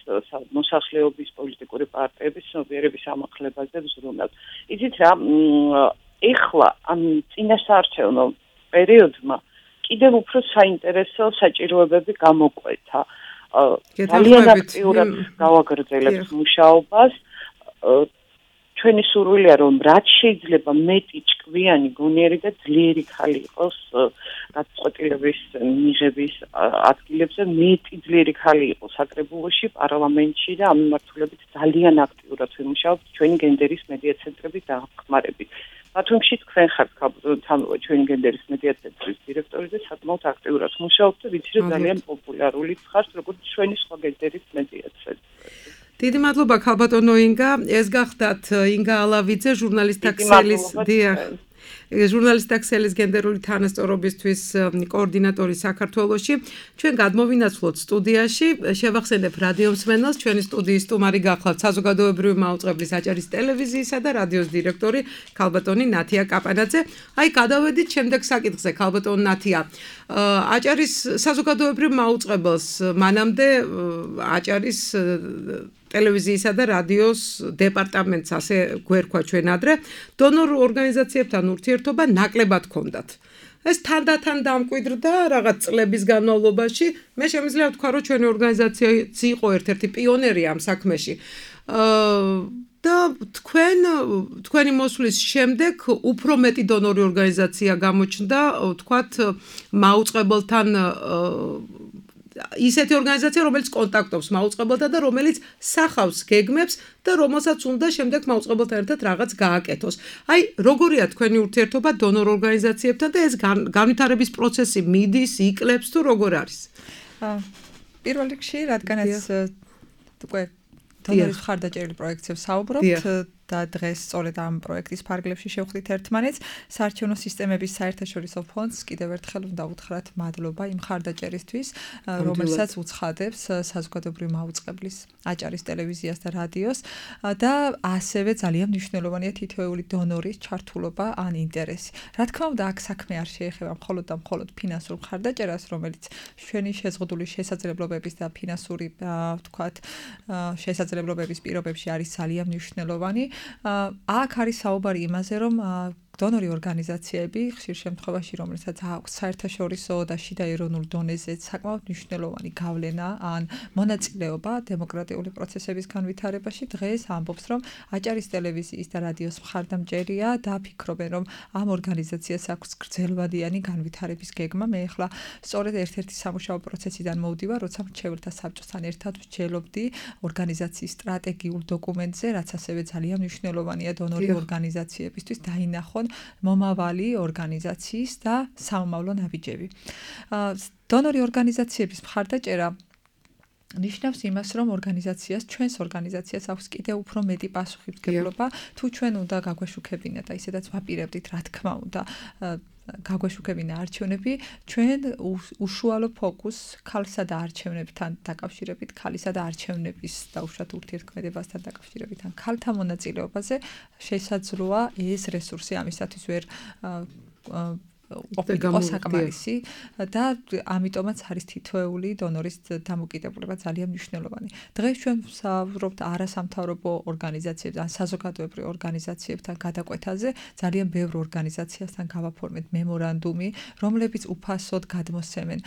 მოსახლეობის პოლიტიკური პარტიების ცნობიერების ამახლებაზე ვზრუნავთ. იცით რა, ეხლა ამ წინასაარჩევნო პერიოდმა კიდევ უფრო საინტერესო საჭიროებები გამოკვეთა. ძალიან აქტიურად გავაგრძელებთ მუშაობას. ჩვენი სურვილია რომ რაც შეიძლება მეტი ჭკვიანი, გონიერი და ძლიერი ხალი იყოს გადაწყვეტილების მიღების ადგილებზე, მეტი ძლიერი ხალი იყოს საკრებულოში, პარლამენტში და ამ მიმართულებით ძალიან აქტიურად ვიმუშაობთ ჩვენი გენდერის მედია ცენტრების დახმარებით. ბათუმში თქვენ ხართ ჩვენი გენდერის მედია ცენტრის დირექტორი და საკმაოდ აქტიურად მუშაობთ და ვიცი რომ ძალიან პოპულარული ხართ როგორც ჩვენი სხვა გენდერის მედია ცენტრი. დიდი მადლობა ქალბატონო ინგა, ეს გახდათ ინგა ალავიძე, ჟურნალისტთა ქსელის ჟურნალისტთა ქსელის გენდერული თანასწორობისთვის კოორდინატორი საქართველოში. ჩვენ გადმოვინაცვლოთ სტუდიაში, შევახსენებ რადიო მსმენელს, ჩვენი სტუდიის სტუმარი გახლავთ საზოგადოებრივი მაუწყებლის აჭარის ტელევიზიისა და რადიოს დირექტორი ქალბატონი ნათია კაპანაძე. აი, გადავედით შემდეგ საკითხზე, ქალბატონი ნათია. აჭარის საზოგადოებრივ მაუწყებელს მანამდე აჭარის ტელევიზიისა და რადიოს დეპარტამენტს ასე გვერქვა ჩვენ ადრე დონორ ორგანიზაციებთან ურთიერთობა ნაკლებად ჰქონდათ. ეს თანდათან დამკვიდრდა რაღაც წლების განმავლობაში. მე შემიძლია ვთქვა, რომ ჩვენი ორგანიზაცია იყო ერთ-ერთი პიონერი ამ საქმეში. და თქვენი მოსვლის შემდეგ უფრო მეტი დონორი ორგანიზაცია გამოჩნდა, ვთქვათ, მაუწყებელთან ისეთი ორგანიზაცია, რომელიც კონტაქტობს მაუწყებელთან და რომელიც სახავს გეგმებს და რომელსაც უნდა შემდეგ მაუწყებელთან ერთად რაღაც გააკეთოს. აი, როგორია თქვენი ურთიერთობა დონორ ორგანიზაციებთან და ეს განვითარების პროცესი მიდის, იკლებს თუ როგორ არის? პირველ რიგში, რადგანაც უკვე დონორის მხარდაჭერილი პროექტზე ვსაუბრობთ და დღეს სწორედ ამ პროექტის ფარგლებში შევხვდით ერთმანეთს, საარჩევნო სისტემების საერთაშორისო ფონდს კიდევ ერთხელ უნდა უთხრათ მადლობა იმ მხარდაჭერისთვის, რომელსაც უცხადებს საზოგადოებრივი მაუწყებლის აჭარის ტელევიზიას და რადიოს და ასევე ძალიან მნიშვნელოვანია თითოეული დონორის ჩართულობა ან ინტერესი. რა თქმა უნდა, აქ საქმე არ შეეხება მხოლოდ და მხოლოდ ფინანსურ მხარდაჭერას, რომელიც ჩვენი შეზღუდული შესაძლებლობების და ფინანსური, ვთქვათ, შესაძლებლობების პირობებში არის ძალიან მნიშვნელოვანი. აქ არის საუბარი იმაზე, რომ დონორი ორგანიზაციები ხშირ შემთხვევაში, რომელსაც აქვს საერთაშორისო და შიდა ეროვნულ დონეზე საკმაოდ მნიშვნელოვანი გავლენა ან მონაწილეობა დემოკრატიული პროცესების განვითარებაში, დღეს ამბობს, რომ აჭარის ტელევიზიის და რადიოს მხარდამჭერია და ფიქრობენ, რომ ამ ორგანიზაციას აქვს გრძელვადიანი განვითარების გეგმა. მე ახლა სწორედ ერთ-ერთი სამუშაო პროცესიდან მოვდივარ, როცა მრჩეველთა საბჭოსთან ერთად ვსჯელობდი ორგანიზაციის სტრატეგიულ დოკუმენტზე, რაც ასევე ძალიან მნიშვნელოვანია დონორი ორგანიზაციებისთვის დაინახონ მომავალი ორგანიზაციის და საომავლო ნაბიჯები. დონორი ორგანიზაციების მხარდაჭერა ნიშნავს იმას, რომ ჩვენს ორგანიზაციას აქვს კიდევ უფრო მეტი პასუხისმგებლობა, თუ ჩვენ უნდა გაგვეშუქებინათ და ისედაც ვაპირებდით, რა თქმა უნდა, გაგვეშუქებინა არჩევნები, ჩვენ უშუალო ფოკუს ქალსა და არჩევნებთან დაკავშირებით, ქალისა და არჩევნების დაუშვათ ურთიერთქმედებასთან დაკავშირებით, ან ქალთა მონაწილეობაზე შესაძლოა ეს რესურსი ამისათვის ვერ ყოფილიყო საკმარისი და ამიტომაც არის თითოეული დონორის დამოკიდებულება ძალიან მნიშვნელოვანი. დღეს ჩვენ ვსაუბრობთ არასამთავრობო ორგანიზაციებთან, ან საზოგადოებრივ ორგანიზაციებთან გადაკვეთაზე, ძალიან ბევრ ორგანიზაციასთან გავაფორმეთ მემორანდუმი, რომლებიც უფასოდ გადმოსცემენ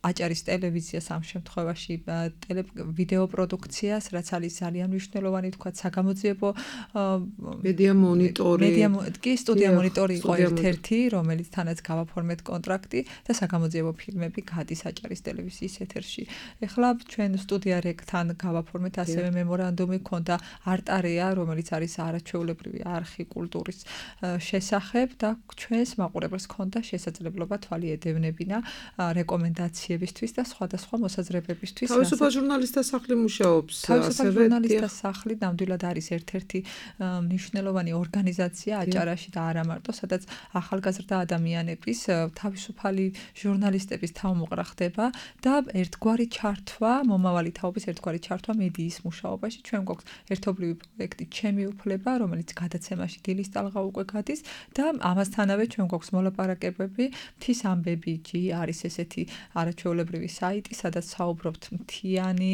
აჭარის ტელევიზიას ამ შემთხვევაში ვიდეო პროდუქციას, რაც არის ძალიან მნიშვნელოვანი, თქვათ, საგამოძიებო მედია მონიტორი. კი, სტუდია მონიტორი იყო ერთ-ერთი, რომელიც თანაც გავაფორმეთ კონტრაქტი და საგამოძიებო ფილმები გადის აჭარის ტელევიზიის ეთერში. ეხლა ჩვენ სტუდია რეკთან გავაფორმეთ ასევე მემორანდუმი, ქონდა არტარეა, რომელიც არის არაჩვეულებრივი არხი კულტურის შესახებ და ჩვენს მაყურებელს ქონდა შესაძლებლობა თვალი ედევნებინა რეკომენდაციებისთვის და სხვადასხვა მოსაზრებებისთვის. თავისუფალ ჟურნალისტთა სახლი მუშაობს. თავისუფალ ჟურნალისტთა სახლი ნამდვილად არის ერთ-ერთი მნიშვნელოვანი ორგანიზაცია აჭარაში და არა მარტო, სადაც ახალგაზრდა ადამიანების თავისუფალი ჟურნალისტების თავმოყრა ხდება და ერთგვარი ჩართვა, მომავალი თაობის ერთგვარი ჩართვა მედიის მუშაობაში. ჩვენ გვაქვს ერთობლივი პროექტი ჩემი უფლება, რომელიც გადაცემაში დილის ტალღა უკვე გადის და ამასთანავე ჩვენ გვაქვს მოლაპარაკებები მთის ამბები.gi არის ესეთი არაჩვეულებრივი საიტი, სადაც საუბრობთ მთიანი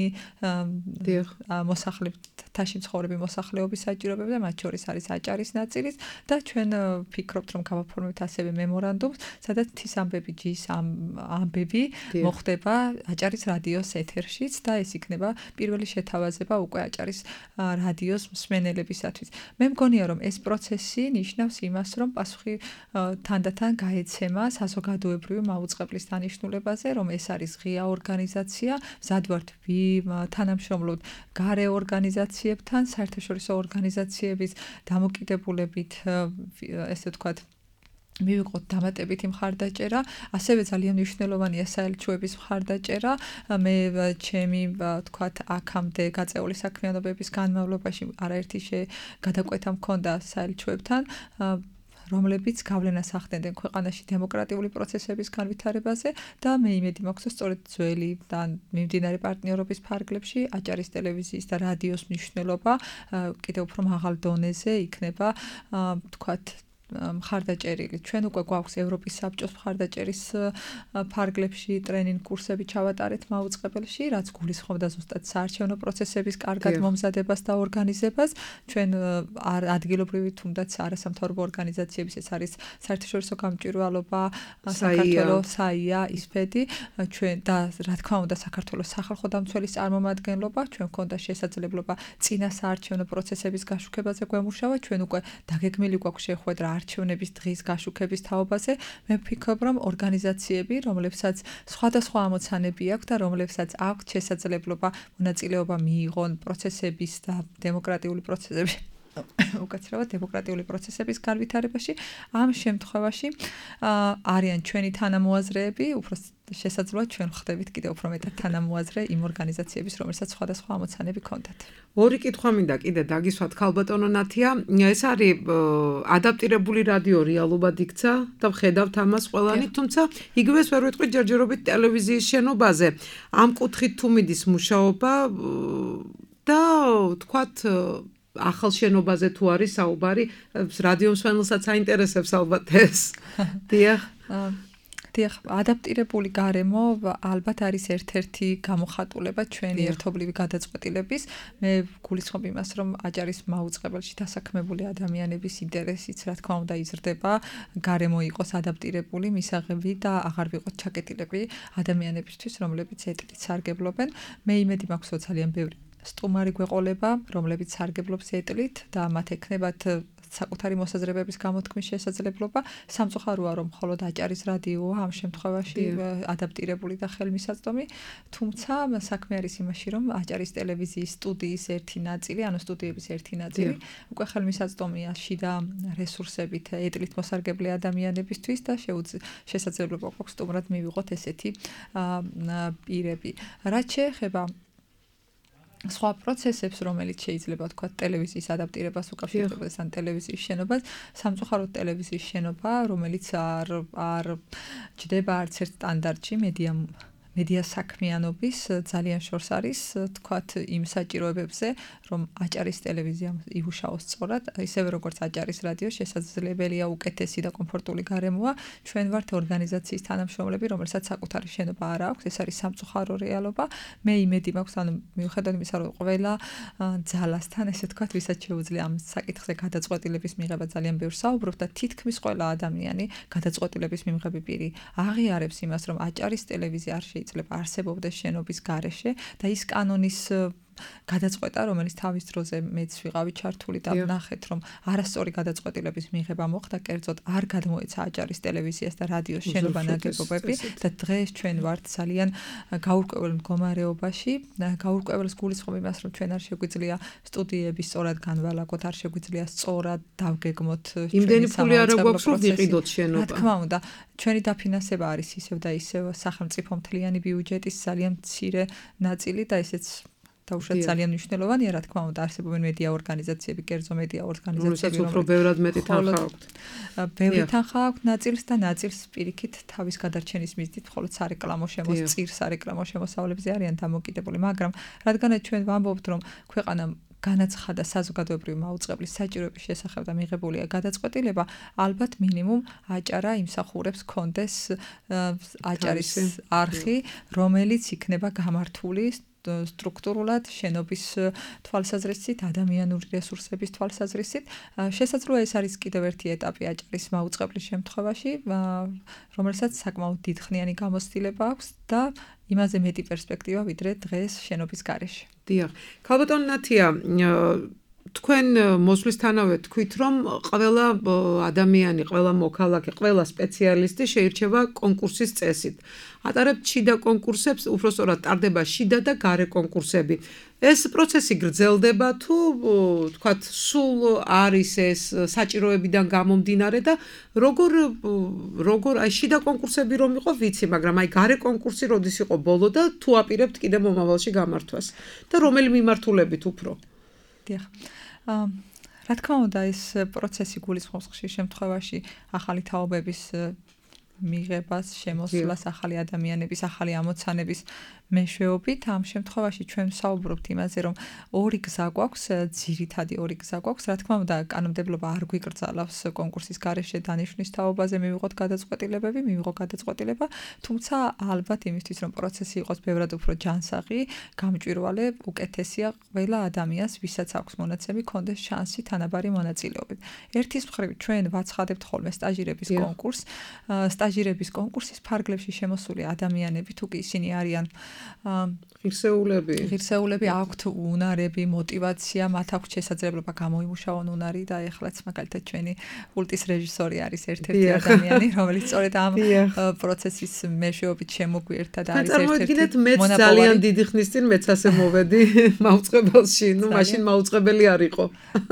მოსახლეობაში მცხოვრები მოსახლეობის საჭიროებებზე და მათ შორის არის აჭარის ნაწილიც და ჩვენ ვფიქრობთ, რომ გავაფორმებთ ასევე მემორანდუმს, სადაც მთის ამბები.gi-ის ამბები მოხდება აჭარის რადიოს ეთერშიც და ეს იქნება პირველი შეთავაზება უკვე აჭარის რადიოს მსმენელებისათვის. მე მგონია, რომ ეს პროცესი ნიშნავს იმას, რომ პასუხი თანდათან გაეცემა საზოგადოებრივი მაუწყებლის დანიშნულებაზე, რომ ეს არის ღია ორგანიზაცია, მზად ვართ თანამშრომლობთ გარე ორგანიზაციებთან, საერთაშორისო ორგანიზაციების დამოკიდებულებით, ესე ვთქვათ, მივიყოთ დამატებითი მხარდაჭერა, ასევე ძალიან მნიშვნელოვანია საელჩოების მხარდაჭერა. მე ჩემი ვთქვათ, აქამდე გაწეული საქმიანობების განმავლობაში არაერთი გადაკვეთა მქონდა საელჩოებთან, რომლებიც გავლენას ახდენდნენ ქვეყანაში დემოკრატიული პროცესების განვითარებაზე და მე იმედი მაქვს, რომ სწორედ ძველი და მიმდინარე პარტნიორობის ფარგლებში აჭარის ტელევიზიის და რადიოს მნიშვნელობა კიდევ უფრო მაღალ დონეზე იქნება, ვთქვათ, მხარდაჭერილი. ჩვენ უკვე გვაქვს ევროპის საბჭოს მხარდაჭერის ფარგლებში ტრენინგ კურსები ჩავატარეთ მაუწყებელში, რაც გულისხმობდა ზუსტად საარჩევნო პროცესების კარგად მომზადებას და ორგანიზებას. ჩვენ ადგილობრივი თუნდაც არასამთავრობო ორგანიზაციების, ეს არის საერთაშორისო გამჭვირვალობა, საქართველოს საია, ისფედი, ჩვენ და რა თქმა უნდა საქართველოს სახალხო დამცველის წარმომადგენლობა, ჩვენ გვქონდა შესაძლებლობა წინა საარჩევნო პროცესების გაშუქებაზე გვემუშავა, ჩვენ უკვე დაგეგმილი გვაქვს შეხვედრა არჩევნების დღის გაშუქების თაობაზე. მე ვფიქრობ, რომ ორგანიზაციები, რომლებსაც სხვადასხვა ამოცანები აქვს და რომლებსაც აქვს შესაძლებლობა მონაწილეობა მიიღონ პროცესების და დემოკრატიული პროცესების უკაცრავად დემოკრატიული პროცესების განვითარებაში, ამ შემთხვევაში არიან ჩვენი თანამოაზრეები, უფრო შესაძლოა ჩვენ ხდებით კიდევ უფრო მეტად თანამოაზრე იმ ორგანიზაციების, რომელსაც სხვადასხვა ამოცანები ჰქონდათ. ორი კითხვა მინდა კიდე დაგისვათ ქალბატონო ნათია, ეს არის ადაპტირებული რადიო რეალობად იქცა და ვხედავთ ამას ყველანი, თუმცა იგივეს ვერ ვიტყვით ჯერჯერობით ტელევიზიის შენობაზე. ამ კუთხით თუ მიდის მუშაობა და თქვათ ახალ შენობაზე თუ არის საუბარი, რადიო მსმენელსაც აინტერესებს ალბათ ეს. დიახ. ადაპტირებული გარემო ალბათ არის ერთ-ერთი გამოხატულება ჩვენი ერთობლივი გადაწყვეტილების. მე გულისხმობ იმას, რომ აჭარის მაუწყებელში დასაქმებული ადამიანების ინტერესიც, რა თქმა უნდა, იზრდება, გარემო იყოს ადაპტირებული, მისაღები და აღარ ვიყოთ ჩაკეტილები ადამიანებისთვის, რომლებიც ეტლით სარგებლობენ. მე იმედი მაქვს, რომ ძალიან ბევრი სტუმარი გვეყოლება, რომლებიც სარგებლობს ეტლით და მათ ექნებათ საკუთარი მოსაზრებების გამოთქმის შესაძლებლობა. სამწუხაროა, რომ მხოლოდ აჭარის რადიოა ამ შემთხვევაში ადაპტირებული და ხელმისაწვდომი, თუმცა საქმე არის იმაში, რომ აჭარის ტელევიზიის სტუდიის ერთი ნაწილი, ანუ სტუდიების ერთი ნაწილი, უკვე ხელმისაწვდომია შიდა რესურსებით ეტლით მოსარგებლე ადამიანებისთვის და შესაძლებლობა გვაქვს სტუმრად მივიღოთ ესეთი პირები. რაც შეეხება სხვა პროცესებს, რომელიც შეიძლება თქვა ტელევიზიის ადაპტირებას უკავშირდებოდეს ან ტელევიზიის შენობას, სამწუხაროდ ტელევიზიის შენობა, რომელიც არ ჯდება არც ერთ სტანდარტში მედია საქმიანობის ძალიან შორს არის თქვათ იმ საჭიროებებზე, რომ აჭარის ტელევიზიამ იუშაოს სწორად, ისევე როგორც აჭარის რადიო შესაძლებელია უკეთესი და კომფორტული გარემოა. ჩვენ ვართ ორგანიზაციის თანამშრომლები, რომელსაც საკუთარი შენობა არ აქვს, ეს არის სამწუხარო რეალობა. მე იმედი მაქვს, ანუ მიუხედავად იმისა, რომ ყველა ძალასთან, ესე თქვათ, ვისაც შეუძლია ამ საკითხზე გადაწყვეტილების მიღება ძალიან ბევრს საუბრობთ და თითქმის ყველა ადამიანი გადაწყვეტილების მიღები პირი აღიარებს იმას, რომ აჭარის ტელევიზია არ შეიძლება არსებობდეს შენობის გარეშე და ის კანონის გადაწყვეტა, რომელიც თავის დროზე მეც ვიყავი ჩართული და ვნახეთ, რომ არასწორი გადაწყვეტილების მიღება მოხდა, კერძოდ არ გადმოეცა აჭარის ტელევიზიას და რადიოს შენობა ნაგებობები და დღეს ჩვენ ვართ ძალიან გაურკვეველ მდგომარეობაში. გაურკვეველს გულისხმობ იმას, რომ ჩვენ არ შეგვიძლია სტუდიები სწორად განვალაგოთ, არ შეგვიძლია სწორად დავგეგმოთ იმდენი ფული არ გვაქვს, რომ ვიყიდოთ შენობა. რა თქმა უნდა, ჩვენი დაფინანსება არის ისევ და ისევ სახელმწიფო მთლიანი ბიუჯეტის ძალიან მცირე ნაწილი და ესეც დაუშვათ ძალიან მნიშვნელოვანია, რა თქმა უნდა, არსებობენ მედია ორგანიზაციები, კერძო მედია ორგანიზაციები, რომელსაც უფრო ბევრად მეტი თანხა აქვთ. ბევრი თანხა აქვთ ნაწილს და ნაწილს პირიქით თავის გადარჩენის მიზნით, მხოლოდ სარეკლამო სარეკლამო შემოსავლებზე არიან დამოკიდებული, მაგრამ რადგანაც ჩვენ ვამბობთ, რომ ქვეყანა განაცხადა საზოგადოებრივი მაუწყებლის საჭიროების შესახებ და მიღებულია გადაწყვეტილება, ალბათ მინიმუმ აჭარა იმსახურებს კონდეს აჭარის არხი, რომელიც იქნება გამართული სტრუქტურულად შენობის თვალსაზრისით, ადამიანური რესურსების თვალსაზრისით. შესაძლოა ეს არის კიდევ ერთი ეტაპი აჭარის მაუწყებლის შემთხვევაში, რომელსაც საკმაოდ დიდხნიანი გამოცდილება აქვს და იმაზე მეტი პერსპექტივა ვიდრე დღეს შენობის გარეშე. დიახ. ქალბატონ ნათია, თქვენ მოსვლისთანავე თქვით, რომ ყველა ადამიანი, ყველა მოქალაქე, ყველა სპეციალისტი შეირჩევა კონკურსის წესით. ატარებთ შიდა კონკურსებს, უბრალოდ ტარდება შიდა და გარე კონკურსები. ეს პროცესი გრძელდება თუ თქვათ სულ არის ეს საჭიროებიდან გამომდინარე და როგორ აი შიდა კონკურსები რომ იყო ვიცი, მაგრამ აი გარე კონკურსი როდის იყო ბოლო და თუ აპირებთ კიდე მომავალში გამართვას და რომელი მიმართულებით უფრო? დიახ. რა თქმა უნდა, ეს პროცესი გულისხმობს ხშირ შემთხვევაში ახალი თაობების მიღებას, შემოსვლას, ახალი ადამიანების, ახალი ამოცანების მეშვეობით. ამ შემთხვევაში ჩვენ ვსაუბრობთ იმაზე, რომ ორი გზა გვაქვს, ძირითადი ორი გზა გვაქვს. რა თქმა უნდა, კანონმდებლობა არ გვიკრძალავს კონკურსის გარეშე დანიშვნის თაობაზე მივიღოთ გადაწყვეტილება, თუმცა ალბათ იმისთვის, რომ პროცესი იყოს ბევრად უფრო ჯანსაღი, გამჭვირვალე, უკეთესია ყველა ადამიანს, ვისაც აქვს მონაცემი, კონდეს შანსი თანაბარი მონაწილეობით. ერთის მხრივ ჩვენ ვაცხადებთ ხოლმე სტაჟირების კონკურსს. სტაჟირების კონკურსის ფარგლებში შემოსული ადამიანები, თუ კი ისინი არიან ღირსეულები, აქვთ უნარები, мотиваცია, მათ აქვთ შესაძლებლობა გამოიმუშაონ უნარი და ეხლაც მაგალითად ჩვენი კულტის რეჟისორი არის ერთ-ერთი ადამიანი, რომელიც სწორედ ამ პროცესის მეშვეობით შემოგვიერთდა და არის ერთ-ერთი მეც ძალიან დიდი ხნის წინ მეც ასე მოვედი მაუწყებელში, მაშინ მაუწყებელი არ იყო.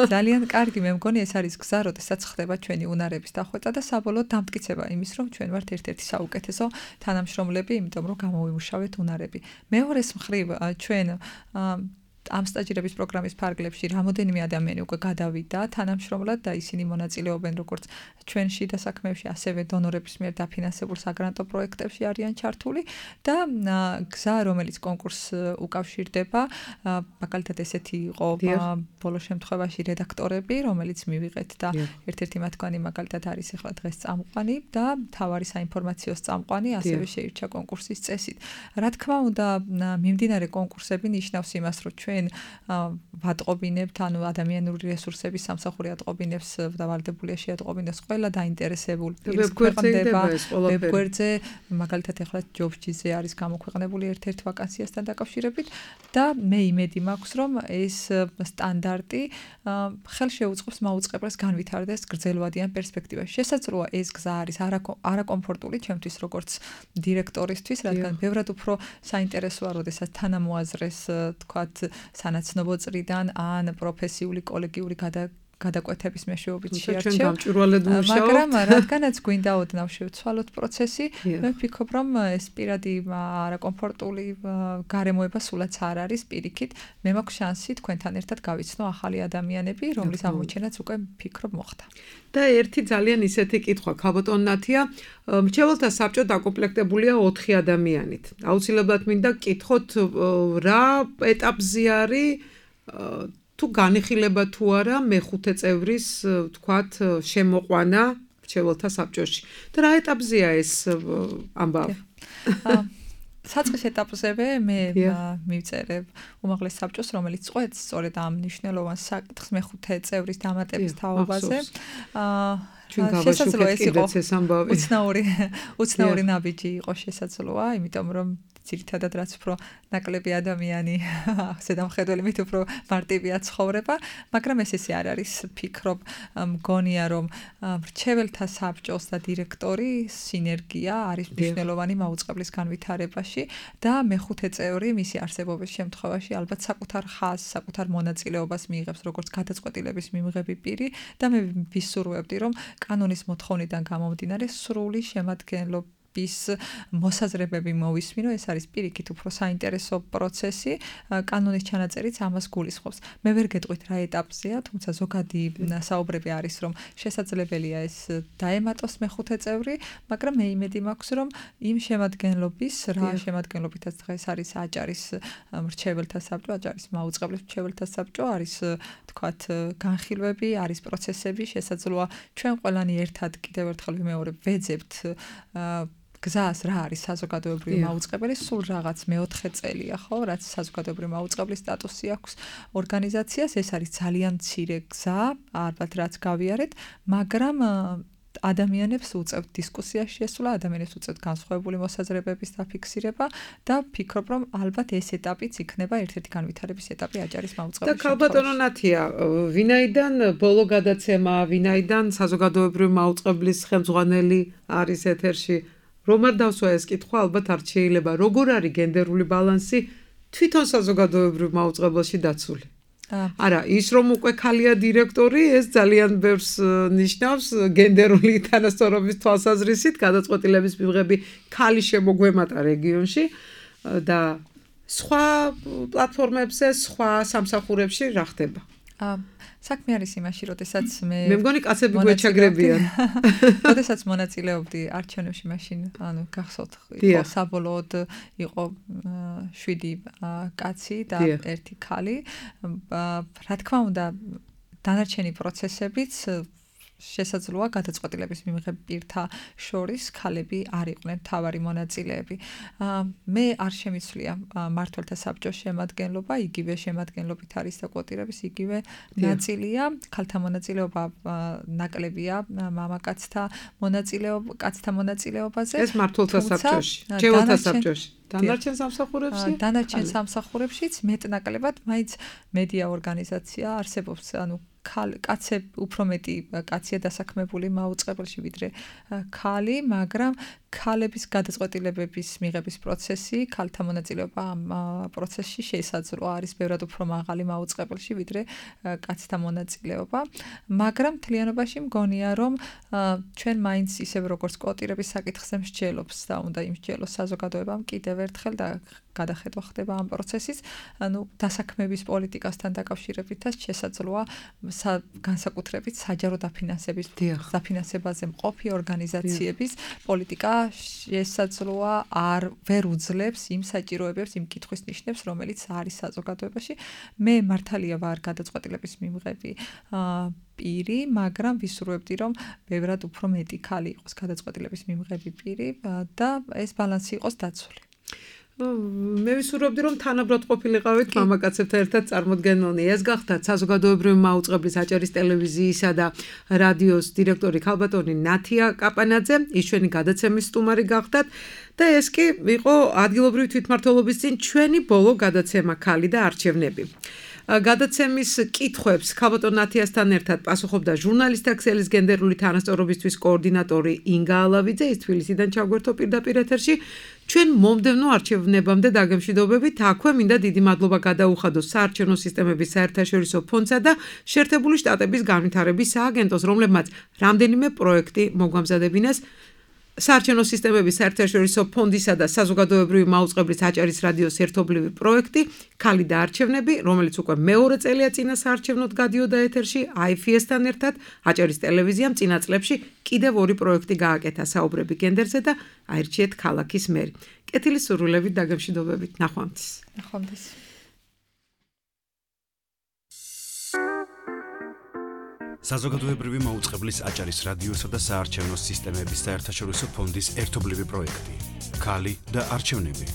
ძალიან კარგი, მე მგონი ეს არის გზა, როდესაც ხდება ჩვენი უნარების დახვეწა და საბოლოოდ დამტკიცება იმის, რომ ჩვენ ვართ ერთ-ერთი საუკეთესო თანამშრომლები, იმიტომ რომ გამოვიმუშავეთ უნარები. მეორეს მხრივ ჩვენ ამ სტაჟირების პროგრამის ფარგლებში რამოდენიმე ადამიანი უკვე გადავიდა თანამშრომლად და ისინი მონაწილეობენ როგორც ჩვენში და საქმეებში, ასევე დონორების მიერ დაფინანსებულ საგრანტო პროექტებში არიან ჩართული და გზა, რომელიც კონკურსს უკავშირდება, მაგალითად ესეთი იყო ბოლო შემთხვევაში რედაქტორები, რომელიც მივიღეთ და ერთ-ერთი მათგანი მაგალითად არის ახლა დღეს წამყვანი და მთავარი საინფორმაციო წამყვანი, ასევე შეირჩა კონკურსის წესით. რა თქმა უნდა, მიმდინარე კონკურსები ნიშნავს იმას, რომ ჩვენ ვატყობინებთ, ანუ ადამიანური რესურსების სამსახური ატყობინებს და ვალდებულია შეატყობინოს ყველა დაინტერესებული პირის ქვეყნდება ვებგვერდზე, მაგალითად ახლა ჯობსჯიზე არის გამოქვეყნებული ერთ-ერთ ვაკანსიასთან დაკავშირებით და მე იმედი მაქვს, რომ ეს სტანდარტი ხელშეუწყობს მაუწყებელს განვითარდეს გრძელვადიან პერსპექტივაში. შესაძლოა ეს გზა არის არაკომფორტული ჩემთვის როგორც დირექტორისთვის, რადგან ბევრად უფრო საინტერესოა, როდესაც თანამოაზრეს თქვათ სანაცნობო წრიდან ან პროფესიული კოლეგიური გადაკვეთების მეშვეობით ჩვენ შეარჩევ. გამჭვირვალედ მუშაობთ. მაგრამ რადგანაც გვინდა ოდნავ შევცვალოთ პროცესი, მე ვფიქრობ, რომ ეს პირადი არაკომფორტული გარემოება სულაც არ არის პირიქით. მე მაქვს შანსი თქვენთან ერთად გავიცნო ახალი ადამიანები, რომლის აღმოჩენაც უკვე ვფიქრობ მოხდა. და ერთი ძალიან ისეთი კითხვა, ქალბატონ ნათია, მრჩეველთა საბჭო დაკომპლექტებულია 4 ადამიანით. აუცილებლად მინდა გკითხოთ, რა ეტაპზე არის თუ განიხილება თუ არა მეხუთე წევრის თქვათ შემოყვანა მრჩეველთა საბჭოში. და რა ეტაპზეა ეს ამბავი? საწყის ეტაპზევე მე მივწერებ უმაღლეს საბჭოს, რომელიც წყვეტს სწორედ ამ მნიშვნელოვან საკითხს მეხუთე წევრის დამატების თაობაზე. ჩვენ გავაშუქეთ კიდეც ეს ამბავი. უცნაური ნაბიჯი იყო შესაძლოა, იმიტომ რომ ძირითადად რაც უფრო ნაკლები ადამიანი ზედამხედველი მით უფრო მარტივია ცხოვრება, მაგრამ ესე არ არის. ფიქრობ, მგონია რომ მრჩეველთა საბჭოს და დირექტორის სინერგია არის მნიშვნელოვანი მაუწყებლის განვითარებაში და მეხუთე წევრი მისი არსებობის შემთხვევაში ალბათ საკუთარ ხაზს, საკუთარ მონაწილეობას მიიღებს როგორც გადაწყვეტილების მიმღები პირი და მე ვისურვებდი რომ კანონის მოთხოვნიდან გამომდინარე სრული შემადგენლობა მოსაზრებები მოვისმინო, ეს არის პირიქით უფრო საინტერესო პროცესი, კანონის ჩანაწერიც ამას გულისხმობს. მე ვერ გეტყვით რა ეტაპზეა, თუმცა ზოგადი საუბრები არის, რომ შესაძლებელია ეს დაემატოს მეხუთე წევრი, მაგრამ მე იმედი მაქვს, რომ იმ შემადგენლობის, რა შემადგენლობითაც დღეს არის აჭარის მრჩეველთა საბჭო, აჭარის მაუწყებლის მრჩეველთა საბჭო, არის თქვათ განხილვები, არის პროცესები, შესაძლოა ჩვენ ყველანი ერთად კიდევ ერთხელ ვიმეორებ, ვეძებთ გზას რა არის საზოგადოებრივი მაუწყებელი, სულ რაღაც მეოთხე წელია, ხო, რაც საზოგადოებრივი მაუწყებლის სტატუსი აქვს ორგანიზაციას, ეს არის ძალიან მცირე გზა, ალბათ რაც გავიარეთ, მაგრამ ადამიანებს უწევთ დისკუსიაში შესვლა, ადამიანებს უწევთ განსხვავებული მოსაზრებების დაფიქსირება და ვფიქრობ, რომ ალბათ ეს ეტაპიც იქნება ერთ-ერთი განვითარების ეტაპი აჭარის მაუწყებლის. და ქალბატონო ნათია, ვინაიდან ბოლო გადაცემა, ვინაიდან საზოგადოებრივი მაუწყებლის ხელმძღვანელი არის ეთერში, რომ არ დავსვა ეს კითხვა, ალბათ არ შეიძლება. როგორ არის გენდერული ბალანსი თვითონ საზოგადოებრივ მაუწყებელში დაცული? არა, ის რომ უკვე ქალია დირექტორი, ეს ძალიან ბევრს ნიშნავს გენდერული თანასწორობის თვალსაზრისით, გადაწყვეტილების მიღები ქალი შემოგვემატა რეგიონში და სხვა პლატფორმებზე, სხვა სამსახურებში რა ხდება? საქმე არის იმაში, როდესაც მე მგონი კაცები გვეჩაგრებიან. როდესაც მონაწილეობდი არჩევნებში, მაშინ გახსოვთ, იყო საბოლოოდ იყო 7 კაცი და 1 ქალი. რა თქმა უნდა, დანარჩენი პროცესებიც შესაძლოა გადაწყვეტილების მიმღებ პირთა შორის ქალები არ იყვნენ თავარი მონაწილეები. მე არ შემიცვლია მმართველთა საბჭოს შემადგენლობა, იგივე შემადგენლობით არის და კვოტირების იგივე ნაწილია. ქალთა მონაწილეობა ნაკლებია მამაკაცთა მონაწილეობაზე. ეს მმართველთა საბჭოში, მრჩეველთა საბჭოში. დანარჩენ სამსახურებში? დანარჩენ სამსახურებშიც მეტნაკლებად მაინც მედია ორგანიზაცია არსებობს, ანუ კაცები უფრო მეტი კაცია დასაქმებული მაუწყებელში ვიდრე ქალი, მაგრამ ქალების გადაწყვეტილებების მიღების პროცესი, ქალთა მონაწილეობა ამ პროცესში შესაძლოა არის ბევრად უფრო მაღალი მაუწყებელში ვიდრე კაცთა მონაწილეობა, მაგრამ მთლიანობაში მგონია რომ ჩვენ მაინც ისევ როგორც კვოტირების საკითხზე მსჯელობს და უნდა იმსჯელოს საზოგადოებამ კიდევ ერთხელ და გადახედვა ხდება ამ პროცესის, ანუ დასაქმების პოლიტიკასთან დაკავშირებითაც შესაძლოა განსაკუთრებით საჯარო დაფინანსებაზე მყოფი ორგანიზაციების პოლიტიკა შესაძლოა ვერ უძლებს იმ საჭიროებებს, იმ კითხვის ნიშნებს, რომელიც არის საზოგადოებაში. მე მართალია ვარ გადაწყვეტილების მიმღები პირი, მაგრამ ვისურვებდი, რომ ბევრად უფრო მეტი ქალი იყოს გადაწყვეტილების მიმღები პირი და ეს ბალანსი იყოს დაცული. მე ვისურვებდი, რომ თანაბრად ყოფილიყავით მამაკაცებთან ერთად წარმოდგენილნი. ეს გახდათ საზოგადოებრივი მაუწყებლის აჭარის ტელევიზიისა და რადიოს დირექტორი ქალბატონი ნათია კაპანაძე, ის ჩვენი გადაცემის სტუმარი გახდათ და ეს კი იყო ადგილობრივი თვითმმართველობის წინ ჩვენი ბოლო გადაცემა ქალი და არჩევნები. გადაცემის კითხვებს ქალბატონ ნათიასთან ერთად პასუხობდა ჟურნალისტთა ქსელის გენდერული თანასწორობისთვის კოორდინატორი ინგა ალავიძე, ის თბილისიდან ჩაგვერთო პირდაპირ ეთერში. ჩვენ მომდევნო არჩევნებამდე დაგემშვიდობებით. აქვე მინდა დიდი მადლობა გადაუხადო საარჩევნო სისტემების საერთაშორისო ფონდსა და შეერთებული შტატების განვითარების სააგენტოს, რომლებმაც რამდენიმე პროექტი მოგვამზადებინეს. საარჩევნო სისტემების საერთაშორისო ფონდისა და საზოგადოებრივი მაუწყებლის აჭარის რადიოს ერთობლივი პროექტი ქალი და არჩევნები, რომელიც უკვე მეორე წელია წინა საარჩევნოდ გადიოდა ეთერში IFS-თან ერთად, აჭარის ტელევიზიამ წინა წლებში კიდევ ორი პროექტი გააკეთა საუბრები გენდერზე და აირჩიეთ ქალაქის მერი. კეთილი სურვილებით დაგემშვიდობებით. ნახვამდის. ნახვამდის. საზოგადოებრივი მაუწყებლის აჭარის რადიოსა და საარჩევნო სისტემების საერთაშორისო ფონდის ერთობლივი პროექტი ქალი და არჩევნები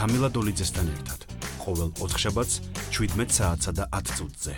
თამილა დოლიძესთან ერთად ყოველ ოთხშაბათს 17 საათსა და 10 წუთზე